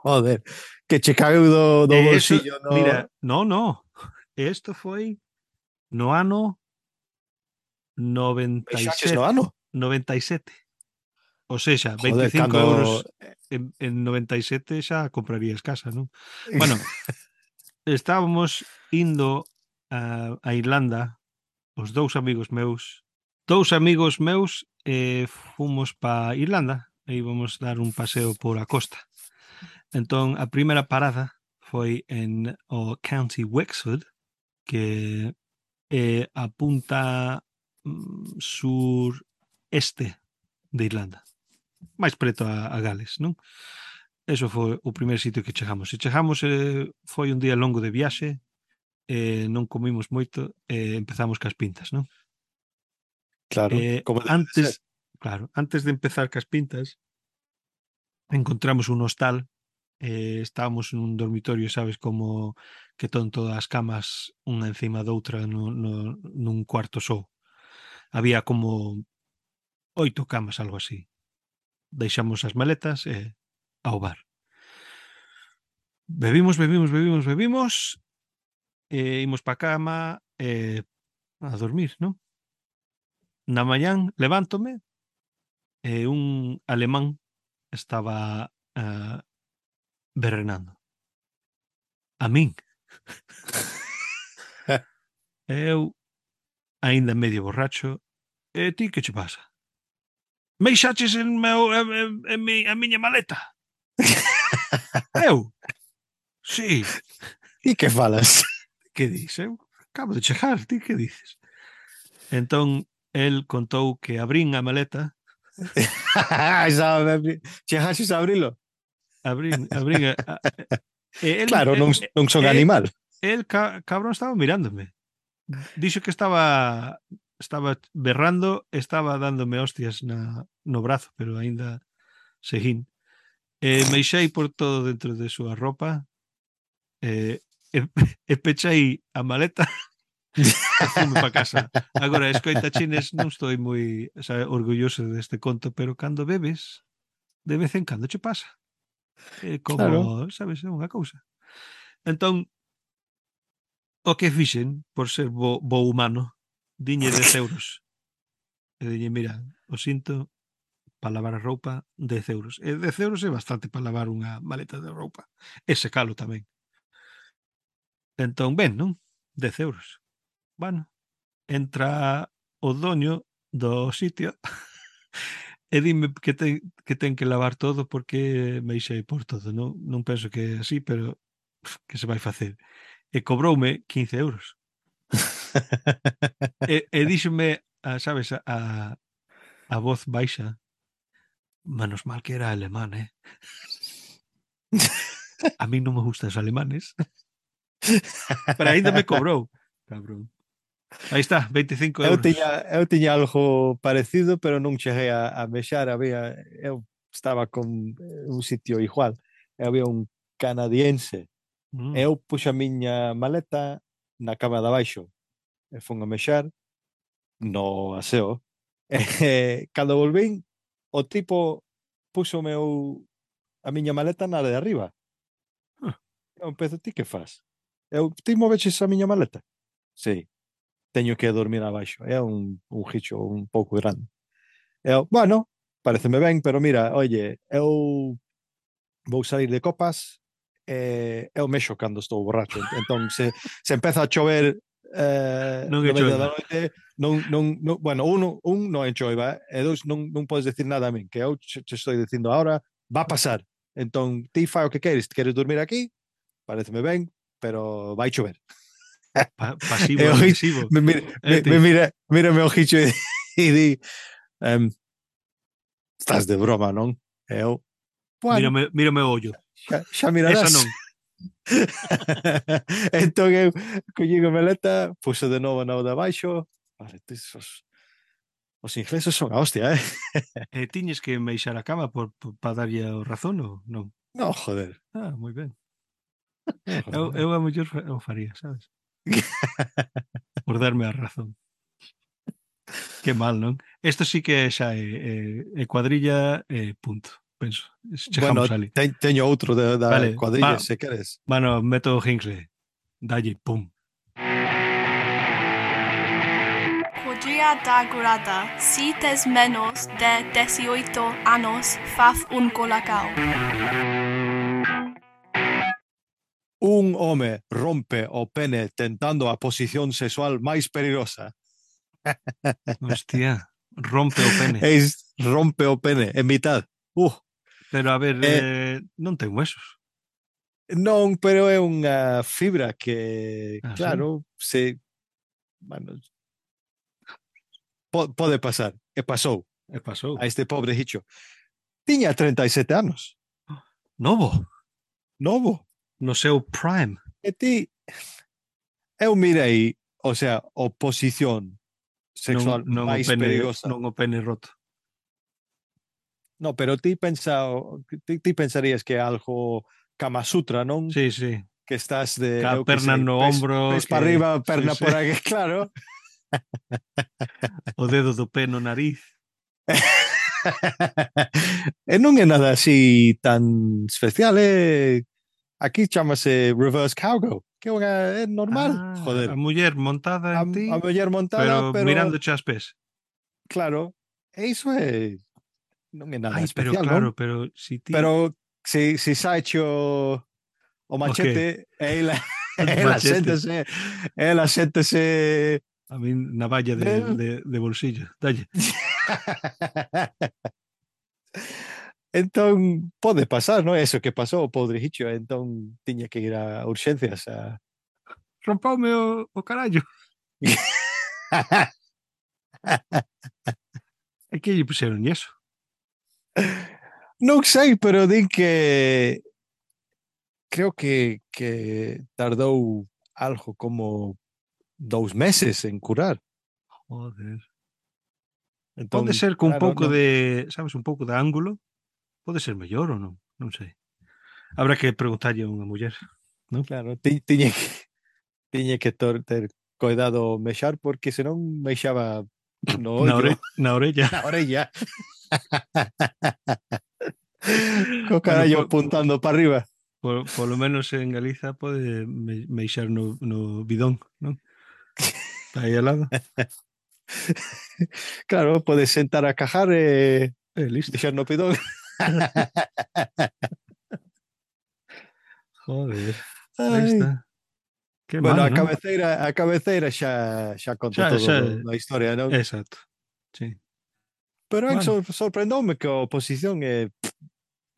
Joder, que che caeu do, do E eso, bolsillo, mira, no? no, no, isto foi no ano noventa e Mexaches no sete, ano? noventa e sete. O sexa, Joder, vinte e cinco cando... euros en, en noventa e sete xa comprarías casa, non? Bueno, estábamos indo a, a Irlanda, os dous amigos meus, dous amigos meus eh, fomos pa Irlanda e íbamos dar un paseo por a costa. Entón, a primeira parada foi en o County Wexford, que é a punta mm, sur-este de Irlanda, máis preto a, a Gales, non? Eso foi o primeiro sitio que chegamos. E chegamos, eh, foi un día longo de viaxe, eh, non comimos moito, e eh, empezamos cas pintas, non? Claro, Eh, como debe de ser. antes, claro, antes de empezar cas pintas, encontramos un hostal, eh, estábamos nun dormitorio, sabes, como que ton todas as camas unha encima doutra no, no, nun cuarto só. Había como oito camas, algo así. Deixamos as maletas e ao bar. Bebimos, bebimos, bebimos, bebimos, e imos pa cama e a dormir, non? Na mañán levántome e un alemán estaba uh, berrenando. A min. Eu, aínda medio borracho, e ti que che pasa? Meixaches en, meu, en, en, en mi, a miña maleta? Eu? Sí. E que falas? Que dis? Eu acabo de chegar, ti que dices? Entón, el contou que abrín a maleta, Chegaxes a abrilo? abrín, abrín a, a, e el, Claro, e, non, non son e, animal. el, ca, cabrón, estaba mirándome. Dixo que estaba estaba berrando, estaba dándome hostias na, no brazo, pero aínda seguín. E meixei por todo dentro de súa ropa, e, e, e pechei a maleta e fume para casa. Agora, escoita, chines, non estou moi, sabe, orgulloso deste conto, pero cando bebes, de vez en cando che pasa. É Claro. como, sabes, é unha cousa. Entón, o que fixen, por ser bo, bo humano, diñe dez euros. E diñe, mira, o sinto, para lavar a roupa dez euros. E dez euros é bastante para lavar unha maleta de roupa. E secalo tamén. Entón, ben, non? dez euros. Bueno, entra o doño do sitio e dime que ten que, ten que lavar todo porque me ixei por todo. Non, non penso que é así, pero que se vai facer? E cobroume quince euros. E, e díxome, a, sabes, a, a voz baixa, menos mal que era alemán, eh? A mí non me gustan os alemanes. Pero aínda me cobrou, cabrón. Aí está, veinticinco Eu euros. tiña, eu tiña algo parecido, pero non cheguei a, a mexar. Había, eu estaba con un sitio igual. Había un canadiense. Mm. Eu puxo a miña maleta na cama de abaixo. E fun a mexar no aseo. E cando volvín, o tipo puxo o meu a miña maleta na de arriba. Ah. Eu empezo, ti que faz? Eu, ti moveches a miña maleta? Sí. Teño que dormir abaixo. É un, un gicho un pouco grande. Eu, bueno, pareceme ben, pero mira, oye, eu vou sair de copas e eu mexo cando estou borracho. Entón, se, se empeza a chover eh, Non é no medio da choiva. noite, non, non, non, bueno, un, un non é choiva, e dous, non, non podes decir nada a min, que eu te, te estou dicindo ahora, va a pasar. Entón, ti fai o que queres, queres dormir aquí, pareceme ben, pero vai chover. Pa pasivo E o Gui- agresivo. me, mira, Eh, me, ti. me mira, mírame o Gicho e, e di, um, estás de broma, non? E eu, bueno, Mírame, mírame o ollo. xa, xa Esa mirarás. non. Entón eu collín a maleta, puxo de novo na de abaixo. Vale, tis, os, os ingleses son a hostia, eh? E tiñes que meixar a cama por, por, para darlle o razón ou non? No, joder. Ah, moi ben. No, Eu, joder. eu a mellor fa- eu faría, sabes? Por darme a razón. Que mal, non? Isto sí que xa é, é, é cuadrilla e punto, penso. Bueno, Chegamos ali. te, teño outro de, da Vale, cuadrilla, va, se queres. mano, meto o Hinckley. Dalle, pum. Podría dar grada si tes menos de dieciocho años faz un colacao. Un home rompe o pene tentando a posición sexual máis peligrosa. Hostia, rompe o pene. Es rompe o pene en mitad. Uh, Pero a ver, eh, eh, non ten huesos. non, pero é unha fibra que, Ah, sí? claro, se, bueno, po, pode pasar. E pasou E pasou. a este pobre Hicho. Tiña treinta e sete anos. Novo, Novo. no seu prime. E ti, eu mirei, o sea, oposición Non, sexual non, o máis pene, perigosa. non o pene roto. No, pero ti pensa, ti, ti pensarías que é algo Kama Sutra, non? Sí, sí. Que estás de, Ca eu que perna sei, no pes, ombro, pes que... para arriba, sí, perna sí. por aquí, claro. O dedo do pé no nariz. E non é nada así tan especial, é... Aquí chamase reverse cowgirl, que é, unha, é normal, Ah, joder. a muller montada A, en ti, a muller montada, pero, pero, mirando as pés. claro, e iso é non é nada Ai, pero especial, claro, non? pero si ti... Pero si, si sacho o machete, ela, ela Machete. séntese, ela séntese... A mí navalla de, de, de bolsillo. Dalle. Entón, pode pasar, non? Eso que pasou, o pobre Hicho, entón tiña que ir a urxencias a... Rompaume o, o carallo. É que lle puxeron eso. Non sei, pero din que creo que, que tardou algo como dous meses en curar. Joder. Entón, Pode ser con un claro, pouco non, de, sabes, un pouco de ángulo. Pode ser mellor ou non? Non sei. Habrá que preguntarlle a unha muller, non? claro, ti, tiña que tiña que tor, ter coidado mexar porque senón mexaba no Na, ollo, ore, na orella. na orella. Co Bueno, carallo po, apuntando para arriba. po, polo menos en Galiza pode me, meixar no, no bidón, non? Está aí al lado. Claro, podes sentar a cajar e Eh, listo. Deixar no pidón. Joder. Aí Ai. está. Que Bueno, mal, a non? cabeceira, a cabeceira xa, xa conta Xa, todo xa, do, da historia, non? exacto. Sí. Pero é que Bueno, sor, sorprendoume que a oposición é,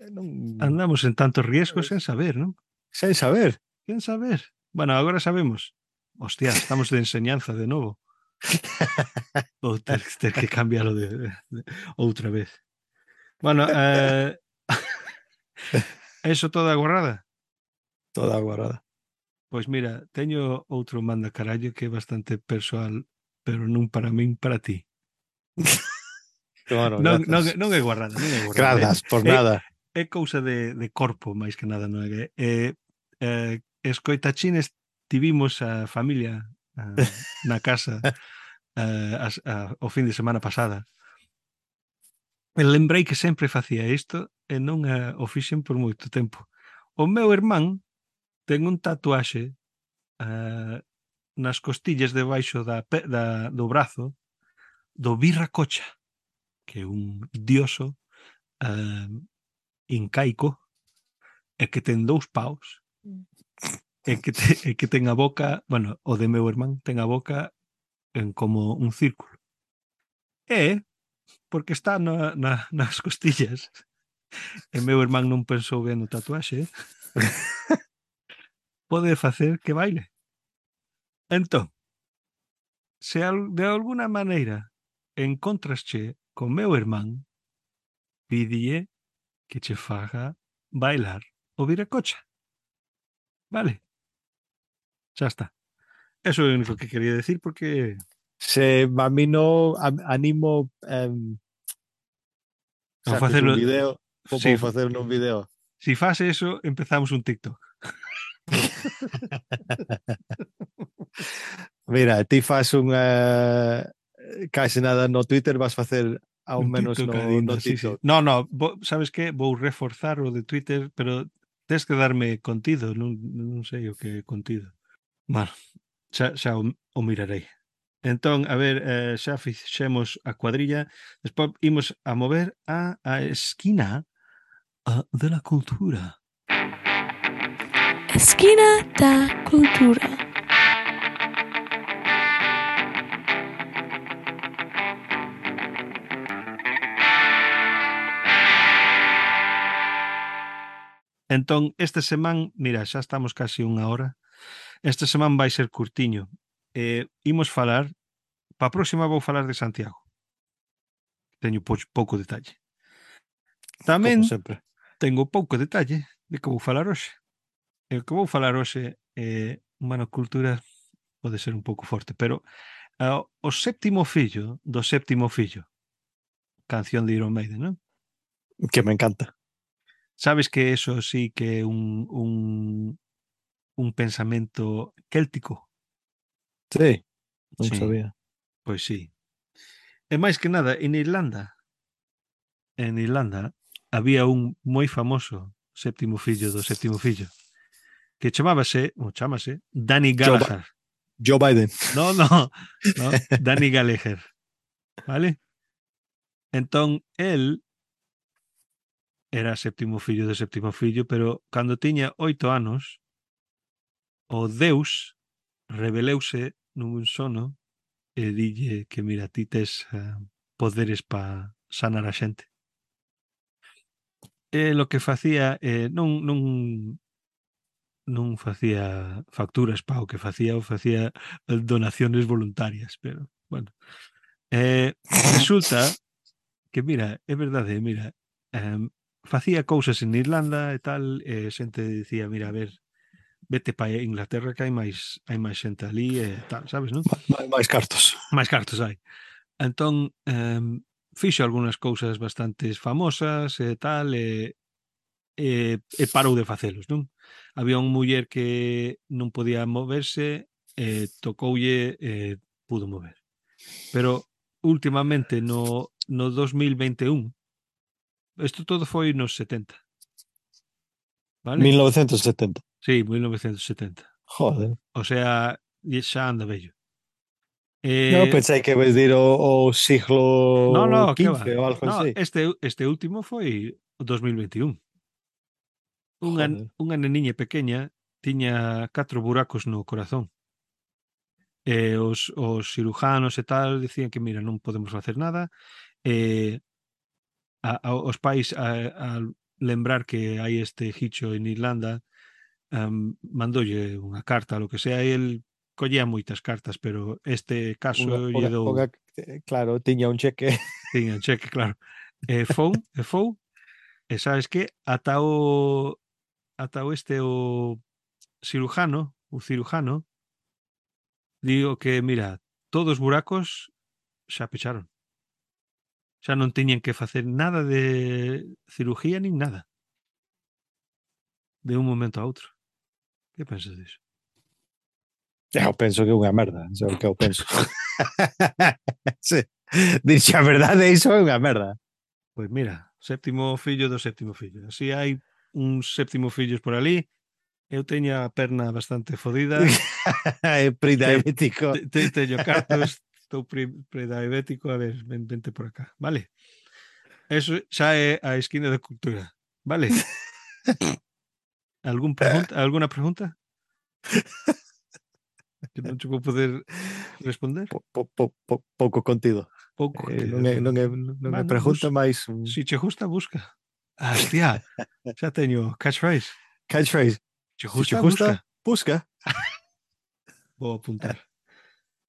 é non, andamos en tantos riesgos sen saber, non? sen saber. Sen saber. Bueno, agora sabemos. Hostia, estamos de enseñanza de novo. Ou ter, ter que cambiarlo de, de, de outra vez. Bueno, eh, eso toda agorrada. Toda aguardada. Pois mira, teño outro manda carallo que é bastante persoal, pero non para min, para ti. Bueno, Non, non, grazas. non é guarrada, non é guarrada. Grazas, por É, nada. é cousa de, de corpo, máis que nada, non é? Eh, eh, escoitachines tivimos a familia a, na casa a, a, o fin de semana pasada. E lembrei que sempre facía isto e non a, o fixen por moito tempo. O meu irmán ten un tatuaxe uh, nas costillas debaixo da, da, do brazo do Virracocha, que é un dioso uh, incaico e que ten dous paus e que, te, e que ten a boca, bueno, o de meu irmán ten a boca en como un círculo. E porque está na, na, nas costillas e meu irmán non pensou ben no tatuaxe, pode facer que baile. Entón, se de alguna maneira encontrasche con meu irmán, pídille que che faga bailar o Viracocha. Vale? Xa está. Eso é o único que quería decir porque... Se a mí no a, animo um, Ao saques facelo... un video, vou Si, facer un video. si faz eso, empezamos un TikTok. Mira, ti faz unha case nada no Twitter, vas facer ao Un menos TikTok no, adindo, no sí, sí. TikTok. No, no, bo, sabes que? Vou reforzar o de Twitter, pero tens que darme contido, non, non sei o que é contido. Bueno, xa, xa o, o mirarei. Entón, a ver, eh, xa fixemos a cuadrilla, despois imos a mover a, a esquina a, de la cultura. Esquina da cultura. Entón, este semán, mira, xa estamos casi unha hora, este semán vai ser curtiño. Eh, imos falar, pa próxima vou falar de Santiago. Teño po, pouco detalle. Tamén Como sempre. tengo pouco detalle de que vou falar hoxe. E o que vou falar hoxe é, bueno, cultura pode ser un pouco forte, pero uh, o séptimo fillo do séptimo fillo, canción de Iron Maiden, non? Que me encanta. Sabes que eso sí que é un, un, un pensamento céltico? Sí, non Sí, sabía. pois sí. E máis que nada, en Irlanda, en Irlanda, había un moi famoso séptimo fillo do séptimo fillo, que chamábase, ou chamase, Danny Gallagher. Joe Biden. No, no, no, Danny Gallagher. Vale? Entón, el era séptimo fillo do séptimo fillo, pero cando tiña oito anos, o Deus reveleuse nun sono e dille que, mira, ti tes uh, poderes para sanar a xente. E lo que facía, eh, non, non, non facía facturas pa o que facía, o facía donaciones voluntarias, pero, bueno. Eh, resulta que, mira, é verdade, mira, eh, facía cousas en Irlanda e tal, e xente dicía, mira, a ver, vete para Inglaterra que hai máis hai máis xente ali e tal, sabes, non? máis cartos. Máis cartos hai. Entón, eh, fixo algunhas cousas bastante famosas e tal, e, e, e parou de facelos, non? Había un muller que non podía moverse, e tocoulle e pudo mover. Pero últimamente no, no dos mil vinte e un, isto todo foi nos setenta. Vale? mil novecentos e setenta. Sí, mil novecentos e setenta. Joder. O sea, xa anda vello. No, Eh, pensei que vais dir o, o no, siglo no, que quince va. ou algo No, así. este, este último foi o dos mil veintiún. Unha, Joder. unha neniña pequeña tiña catro buracos no corazón. E os, os cirujanos e tal dicían que, mira, non podemos facer nada. E a, a, os pais, a, a lembrar que hai este hicho en Irlanda, um, mandoulle unha carta, lo que sea, e el collía moitas cartas, pero este Unha, caso lle unha, dou, unha, eh, claro, tiña un cheque. tiña cheque, claro. E fou, e fou, e sabes que ata o ata o este o cirujano, o cirujano, digo que, mira, todos os buracos xa pecharon. Xa non tiñen que facer nada de cirugía nin nada. De un momento a outro. Que pensas disso? Eu penso que é unha merda, é o que eu penso. Sí. Dirxe a verdade, iso é unha merda. Pois mira, séptimo fillo do séptimo fillo. Así hai uns séptimo fillos por ali. Eu teño a perna bastante fodida. É Te, prediabético. te, te, teño cartos, estou pre, prediabético. A ver, ven, vente por acá. Vale? Eso xa é a esquina da cultura. Vale? Algún pregunta, alguna pregunta? Que non che vou poder responder? Po, po, po, po, pouco contido. Pouco Eh, contido. non, é, non, é, non é Bueno, pregunta, bus, máis un si che gusta, busca. Ah, hostia, xa teño catchphrase. catchphrase. Che Si te gusta, busca. gusta, busca. Vou apuntar.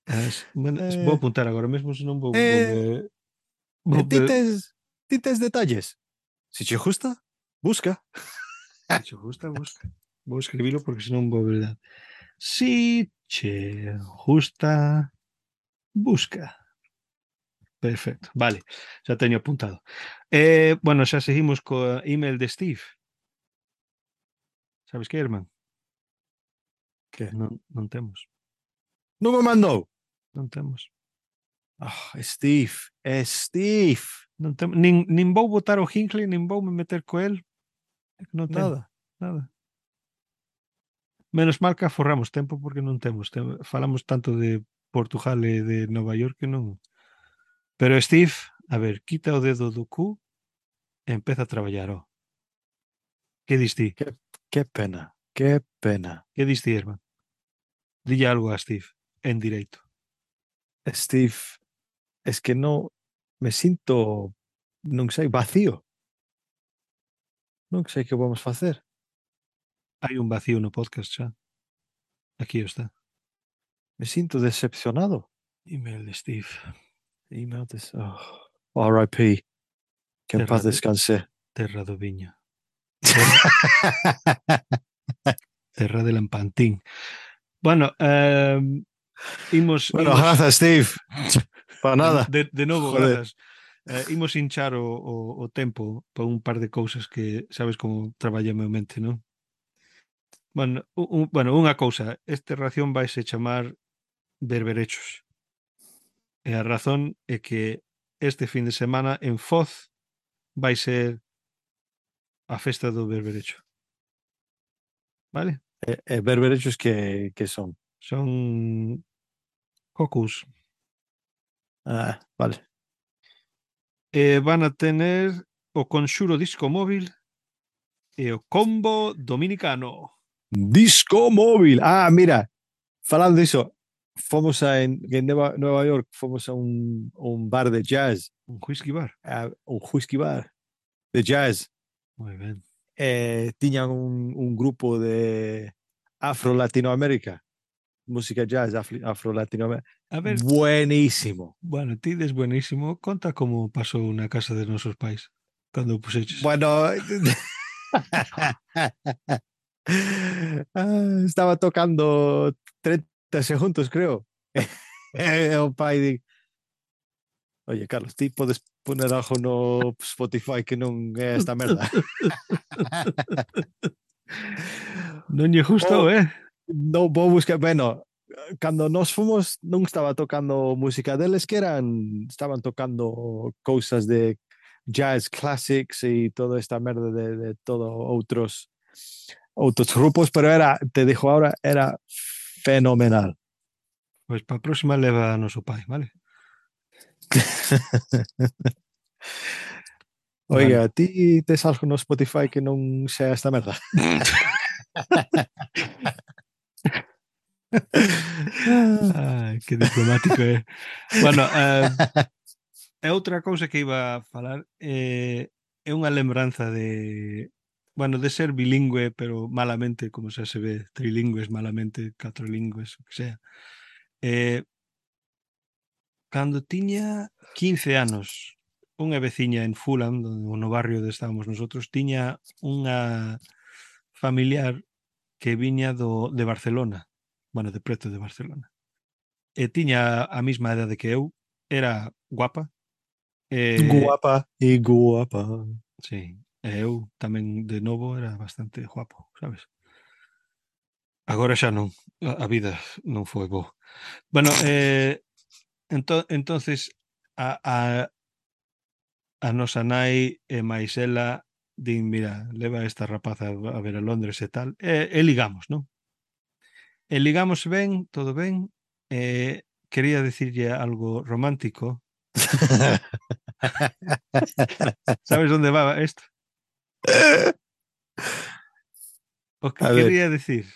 As, bueno, vou Eh, apuntar agora mesmo, senón vou, vou eh, me, eh, vou ti, me, tes, ti tes detalles. Si te gusta, busca. si che gusta, busca. Vou escribilo porque senón vou verdad. Si che gusta, busca. Perfecto, vale, xa teño apuntado. Eh, bueno, xa seguimos co email de Steve. Sabes que, irmán? Que? Non, non temos, Non me mandou. non temos. Oh, Steve, é Steve. Non temos, nin, nin vou botar o Hinckley, nin vou me meter co el. É que non temos Nada. nada. Menos mal que aforramos tempo porque non temos. Tem, falamos tanto de Portugal e de Nova York que non. Pero Steve, a ver, quita o dedo do cu e empeza a traballar, ó. Que dis ti? Que, que pena, que pena. Que dis ti, irmán? Dille algo a Steve, en directo. Steve, es que no me sinto, non sei, vacío. Non sei que vamos facer. Hai un vacío no podcast xa. Aquí está. Me sinto decepcionado. Email de Steve. Email this. Oh, R I P. Que en Terra paz de, descanse. terra do viño. Terra, terra de Lampantín. Bueno, eh, imos, Bueno, imos gracias, Steve. Para de, nada. de, de novo, Joder. grazas. Eh, imos hinchar o, o, o tempo para un par de cousas que sabes como traballa a meu mente, non? Bueno, un, un, bueno, unha cousa, este ración vaise chamar berberechos. E a razón é que este fin de semana en Foz vai ser a festa do berberecho. Vale? Eh, eh, berberechos que, que son. Son cocos. Ah, vale. E van a tener o Conxuro Disco Móvil e o Combo Dominicano. Disco móvil. Ah, mira, falando diso, fomos a, en, en Nueva, Nueva York, fomos a un, un bar de jazz, Un whisky bar. a un whisky bar de jazz. Moi ben. Eh, tiñan un, un grupo de Afro-Latinoamérica, música jazz Afro-Latinoamérica. A ver, Buenísimo. bueno, ti des buenísimo. Conta como pasou na casa de nosos pais cando o puseches. Bueno, ah, estaba tocando treinta segundos, creo. O pai di, oye, Carlos, ti podes poner algo no Spotify que non é esta merda. Non lle gustou, Oh, eh? non vou buscar, bueno, cando nos fomos non estaba tocando música deles que eran, estaban tocando cousas de jazz classics e toda esta merda de, de todo outros outros grupos, pero era, te dijo ahora, era fenomenal. Pois para a próxima leva a noso pai, vale? Oiga, Vale. ti tes algo no Spotify que non sea esta merda? Ai, que diplomático é. Bueno, eh, é outra cousa que iba a falar eh, é unha lembranza de bueno, de ser bilingüe, pero malamente, como xa se ve, trilingües malamente, catrolingües, o que sea. Eh, cando tiña quince anos, unha veciña en Fulham, no barrio onde estábamos nosotros, tiña unha familiar que viña do, de Barcelona, bueno, de preto de Barcelona. E tiña a mesma edade que eu, era guapa. E, Guapa e guapa. sí, e eu tamén de novo era bastante guapo, sabes? Agora xa non, a, a vida non foi bo. Bueno, eh, ento, entonces a, a, a nosa nai e máis ela din, mira, leva esta rapaza a ver a Londres e tal, e, e ligamos, non? E ligamos ben, todo ben, e quería decirlle algo romántico. Sabes onde va isto? O que A ver. quería decir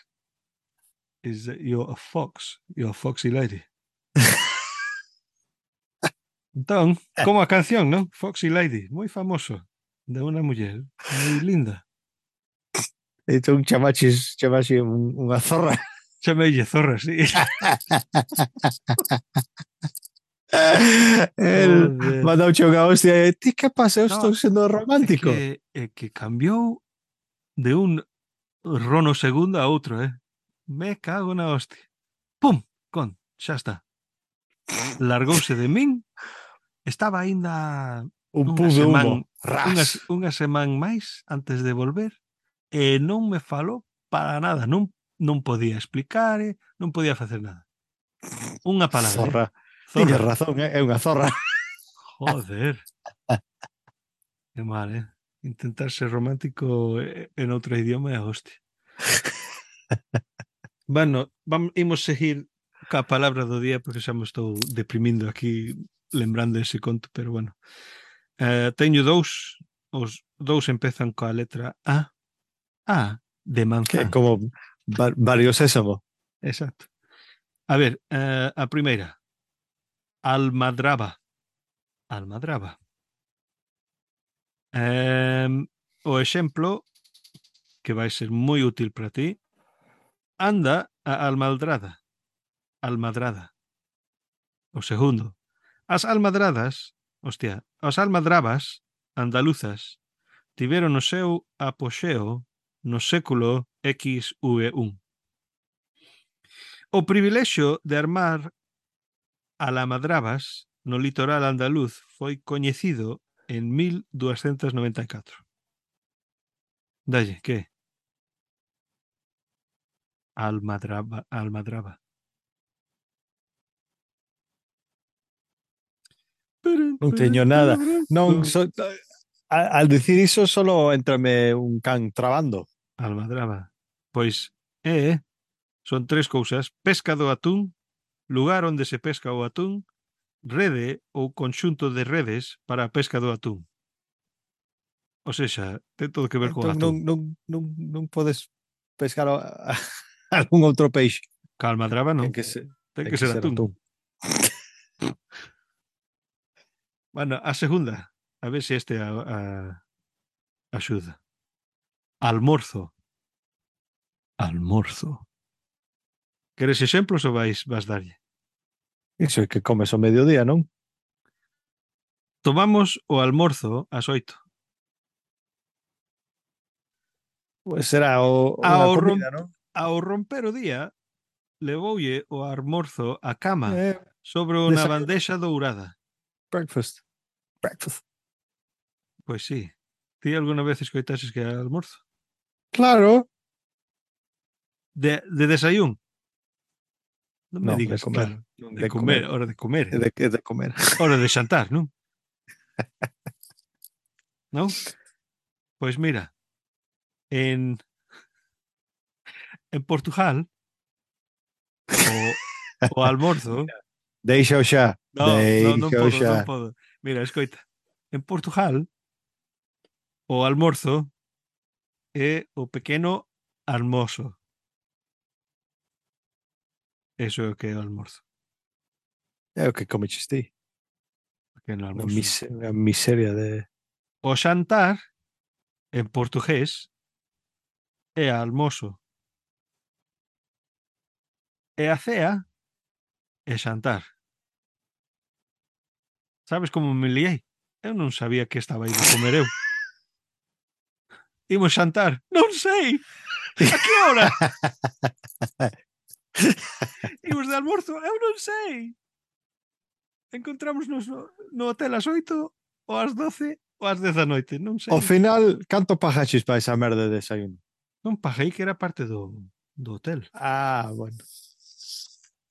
is that you're a fox, you're a foxy lady. Entón, como a canción, non? Foxy Lady, moi famoso, de unha muller moi linda. Entón chamaches, chamaxe un, unha zorra. Chameille zorra, sí. El Joder. mandouche unha hostia e ti que pasa? Eu No, estou sendo é romántico. que, é que cambiou de un rono segundo a outro, eh? Me cago na hostia. Pum, con, xa está. Largouse de min, estaba aínda Un unha pum de semana, humo. Ras. unha, unha semana máis antes de volver e non me falou para nada, non, non podía explicar, eh, non podía facer nada. Unha palabra, Zorra. eh? Tiñes Zorra. razón, é unha zorra. Joder. Que mal, eh? Intentar ser romántico en outro idioma é a hostia. Bueno, vamos, imos seguir ca palabra do día porque xa me estou deprimindo aquí lembrando ese conto, pero bueno. Uh, teño dous, os dous empezan coa letra A. A de Que manzán. como va, varios sésamo. Exacto. A ver, uh, a primeira. Almadraba. Almadraba. Um, o exemplo que vai ser moi útil para ti. Anda a almadrada. Almadrada. O segundo. As almadradas, hostia, as almadrabas andaluzas tiveron o seu apoxeo no século X V un. O privilexio de armar almadrabas no litoral andaluz foi coñecido en mil duascentos noventa e catro. Dalle, que? Almadraba, almadraba. Non teño nada. Non so, al decir iso solo entrame un can trabando. Almadraba. Pois é, son tres cousas: pesca do atún, lugar onde se pesca o atún, rede ou conxunto de redes para a pesca do atún. O sexa, ten todo que ver co Entón non, atún. non, non, non podes pescar a, a, algún outro peixe. Ca almadraba non. Ten que ser, Ten ten que que ser ser atún. atún. Bueno, a segunda. A ver se este a, a, axuda. Almorzo. Almorzo. Queres exemplos ou vais, vas darlle? Iso é que comes ao mediodía, non? Tomamos o almorzo ás oito. Pois será o, unha Ao, rom, comida, non? ao romper o día, levoulle o almorzo a cama Eh, sobre unha desayuno. bandexa dourada. Breakfast. Breakfast. Pois sí. Ti alguna vez escoitases que é almorzo? Claro. De, de desayún? Non me No, digas, de comer. claro. De, De comer, comer. hora de comer. É de, é de comer. Hora de xantar, non? Non? Pois mira, en, en Portugal, o, O almorzo. Deixa xa. No, no, non Deixa podo, xa. non podo. Mira, escoita. En Portugal, o almorzo é o pequeno almozo. Eso é o que é o almorzo. É o que comeches ti. Pequeno Unha almorzo. mis unha miseria de... O xantar, en portugués, é almozo. E a cea é xantar. Sabes como me liei? Eu non sabía que estaba aí de comer eu. Imos xantar. Non sei. A que hora? Imos de almorzo. Eu non sei. Encontrámonos no, no hotel ás oito ou ás doce ou ás dez da noite. Non sei. Ao final, canto pagaches para esa merda de desayuno? Non paguei que era parte do, do hotel. Ah, bueno.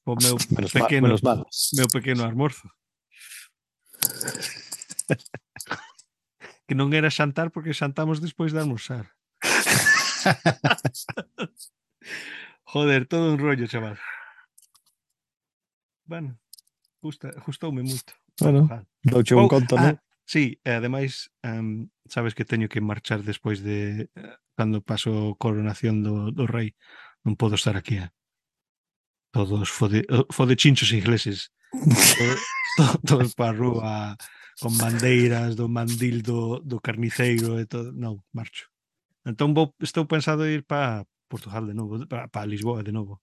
O meu Menos mal, pequeno, menos mal. meu pequeno almorzo. Que non era xantar porque xantamos despois de almorzar. Joder, todo un rollo, chaval. Bueno, justa, gustoume moito. Bueno, douche un Oh, conto, ah, non? sí, e ademais, um, sabes que teño que marchar despois de uh, cando paso coronación do, do rei. Non podo estar aquí, eh? Todos fode, fode chinchos ingleses. Todos, todos para a rúa con bandeiras do mandil do, do carniceiro e todo. Non, marcho. Entón vou, estou pensado ir para Portugal de novo, para, para Lisboa de novo.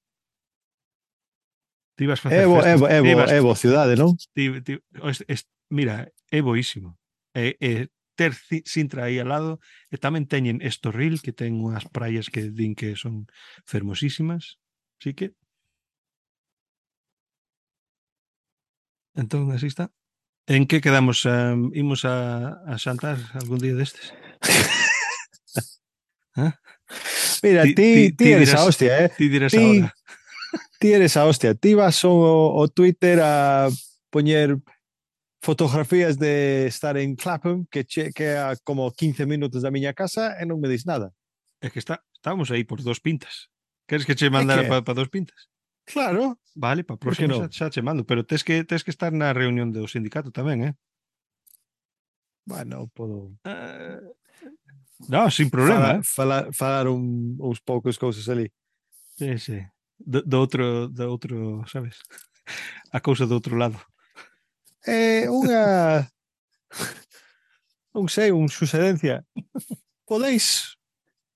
Ti vas facer É bo, é festas. bo, é Ti bo, vas- é bo cidade, non? ti- ti- es- es- mira, é boísimo. É, é ter Ci- Sintra aí al lado e tamén teñen Estorril, que ten unhas praias que din que son fermosísimas. Así que entón así está. En que quedamos? Um, imos a, a xantar algún día destes? ¿Ah? Mira, Ti- ti, ti- ti ti eres dirás- a hostia, eh? Ti dirás Ti- ahora. Ti eres a hostia. Ti vas ao, ao Twitter a poñer fotografías de estar en Clapham, que, che, que a como quince minutos da miña casa, e non me dis nada. É que está, estábamos aí por dos pintas. Queres que che mandara que- para pa dos pintas? Claro. Vale, para Por que próxima non? xa, xa che mando, pero tes que tes que estar na reunión do sindicato tamén, eh? Bueno, podo Uh, no, sin problema, falar, eh? falar, falar un, uns poucos cousas ali. Sí, sí. Do, do outro, do outro, sabes? A cousa do outro lado. É unha non sei, unha sucedencia. Podeis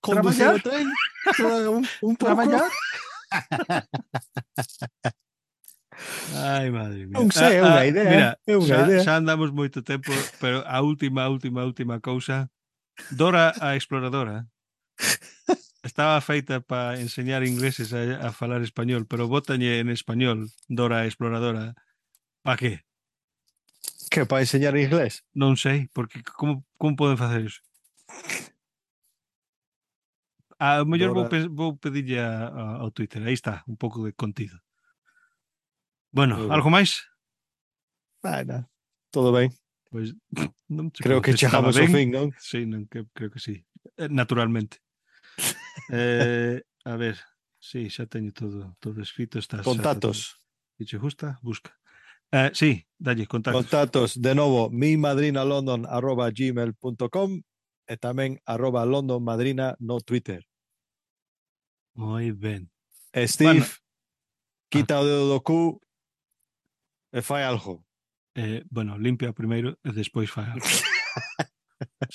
conducir Traballar? o tren? Tra- un, un pouco? Traballar? Ai, madre mía. Non sei, é unha idea, Mira, é unha xa, idea. xa andamos moito tempo, pero a última, última, última cousa. Dora a exploradora estaba feita para enseñar ingleses a, a falar español, pero bótalle en español Dora a exploradora. Pa que? Que para enseñar inglés? Non sei, porque como, como poden facer iso? A mellor vou, Dora- pe- vou pedirlle a, a, ao Twitter. Aí está, un pouco de contido. Bueno, Moi ben. algo máis? Bueno, todo ben. Pois non che Creo podo que dizer estaba chegamos ao ben. fin, non? Sí, non, que, creo que sí. Eh, Naturalmente. eh, a ver, sí, xa teño todo, todo escrito. Estás, Contactos. Se che gusta, busca. Eh, sí, dalle, contactos. Contactos, de novo, mimadrinalondon arroba gmail punto com e tamén arroba londonmadrina no Twitter. Moi ben. E Steve, Bueno. quita o dedo do cu e fai algo. Eh, bueno, limpia primeiro e despois fai algo.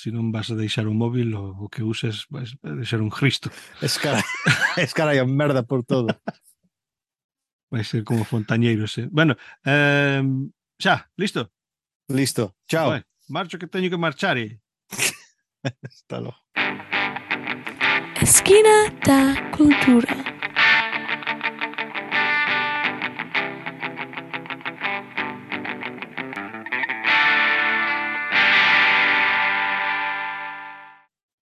Se non vas a deixar o móvil, o, o que uses vas a deixar un Cristo. Escara, escaralla merda por todo. Vai ser como fontañeiros, eh? Bueno, eh, xa, listo? Listo. Chao. Vai, marcho que teño que marchar, eh? Hasta logo. Esquina da Cultura.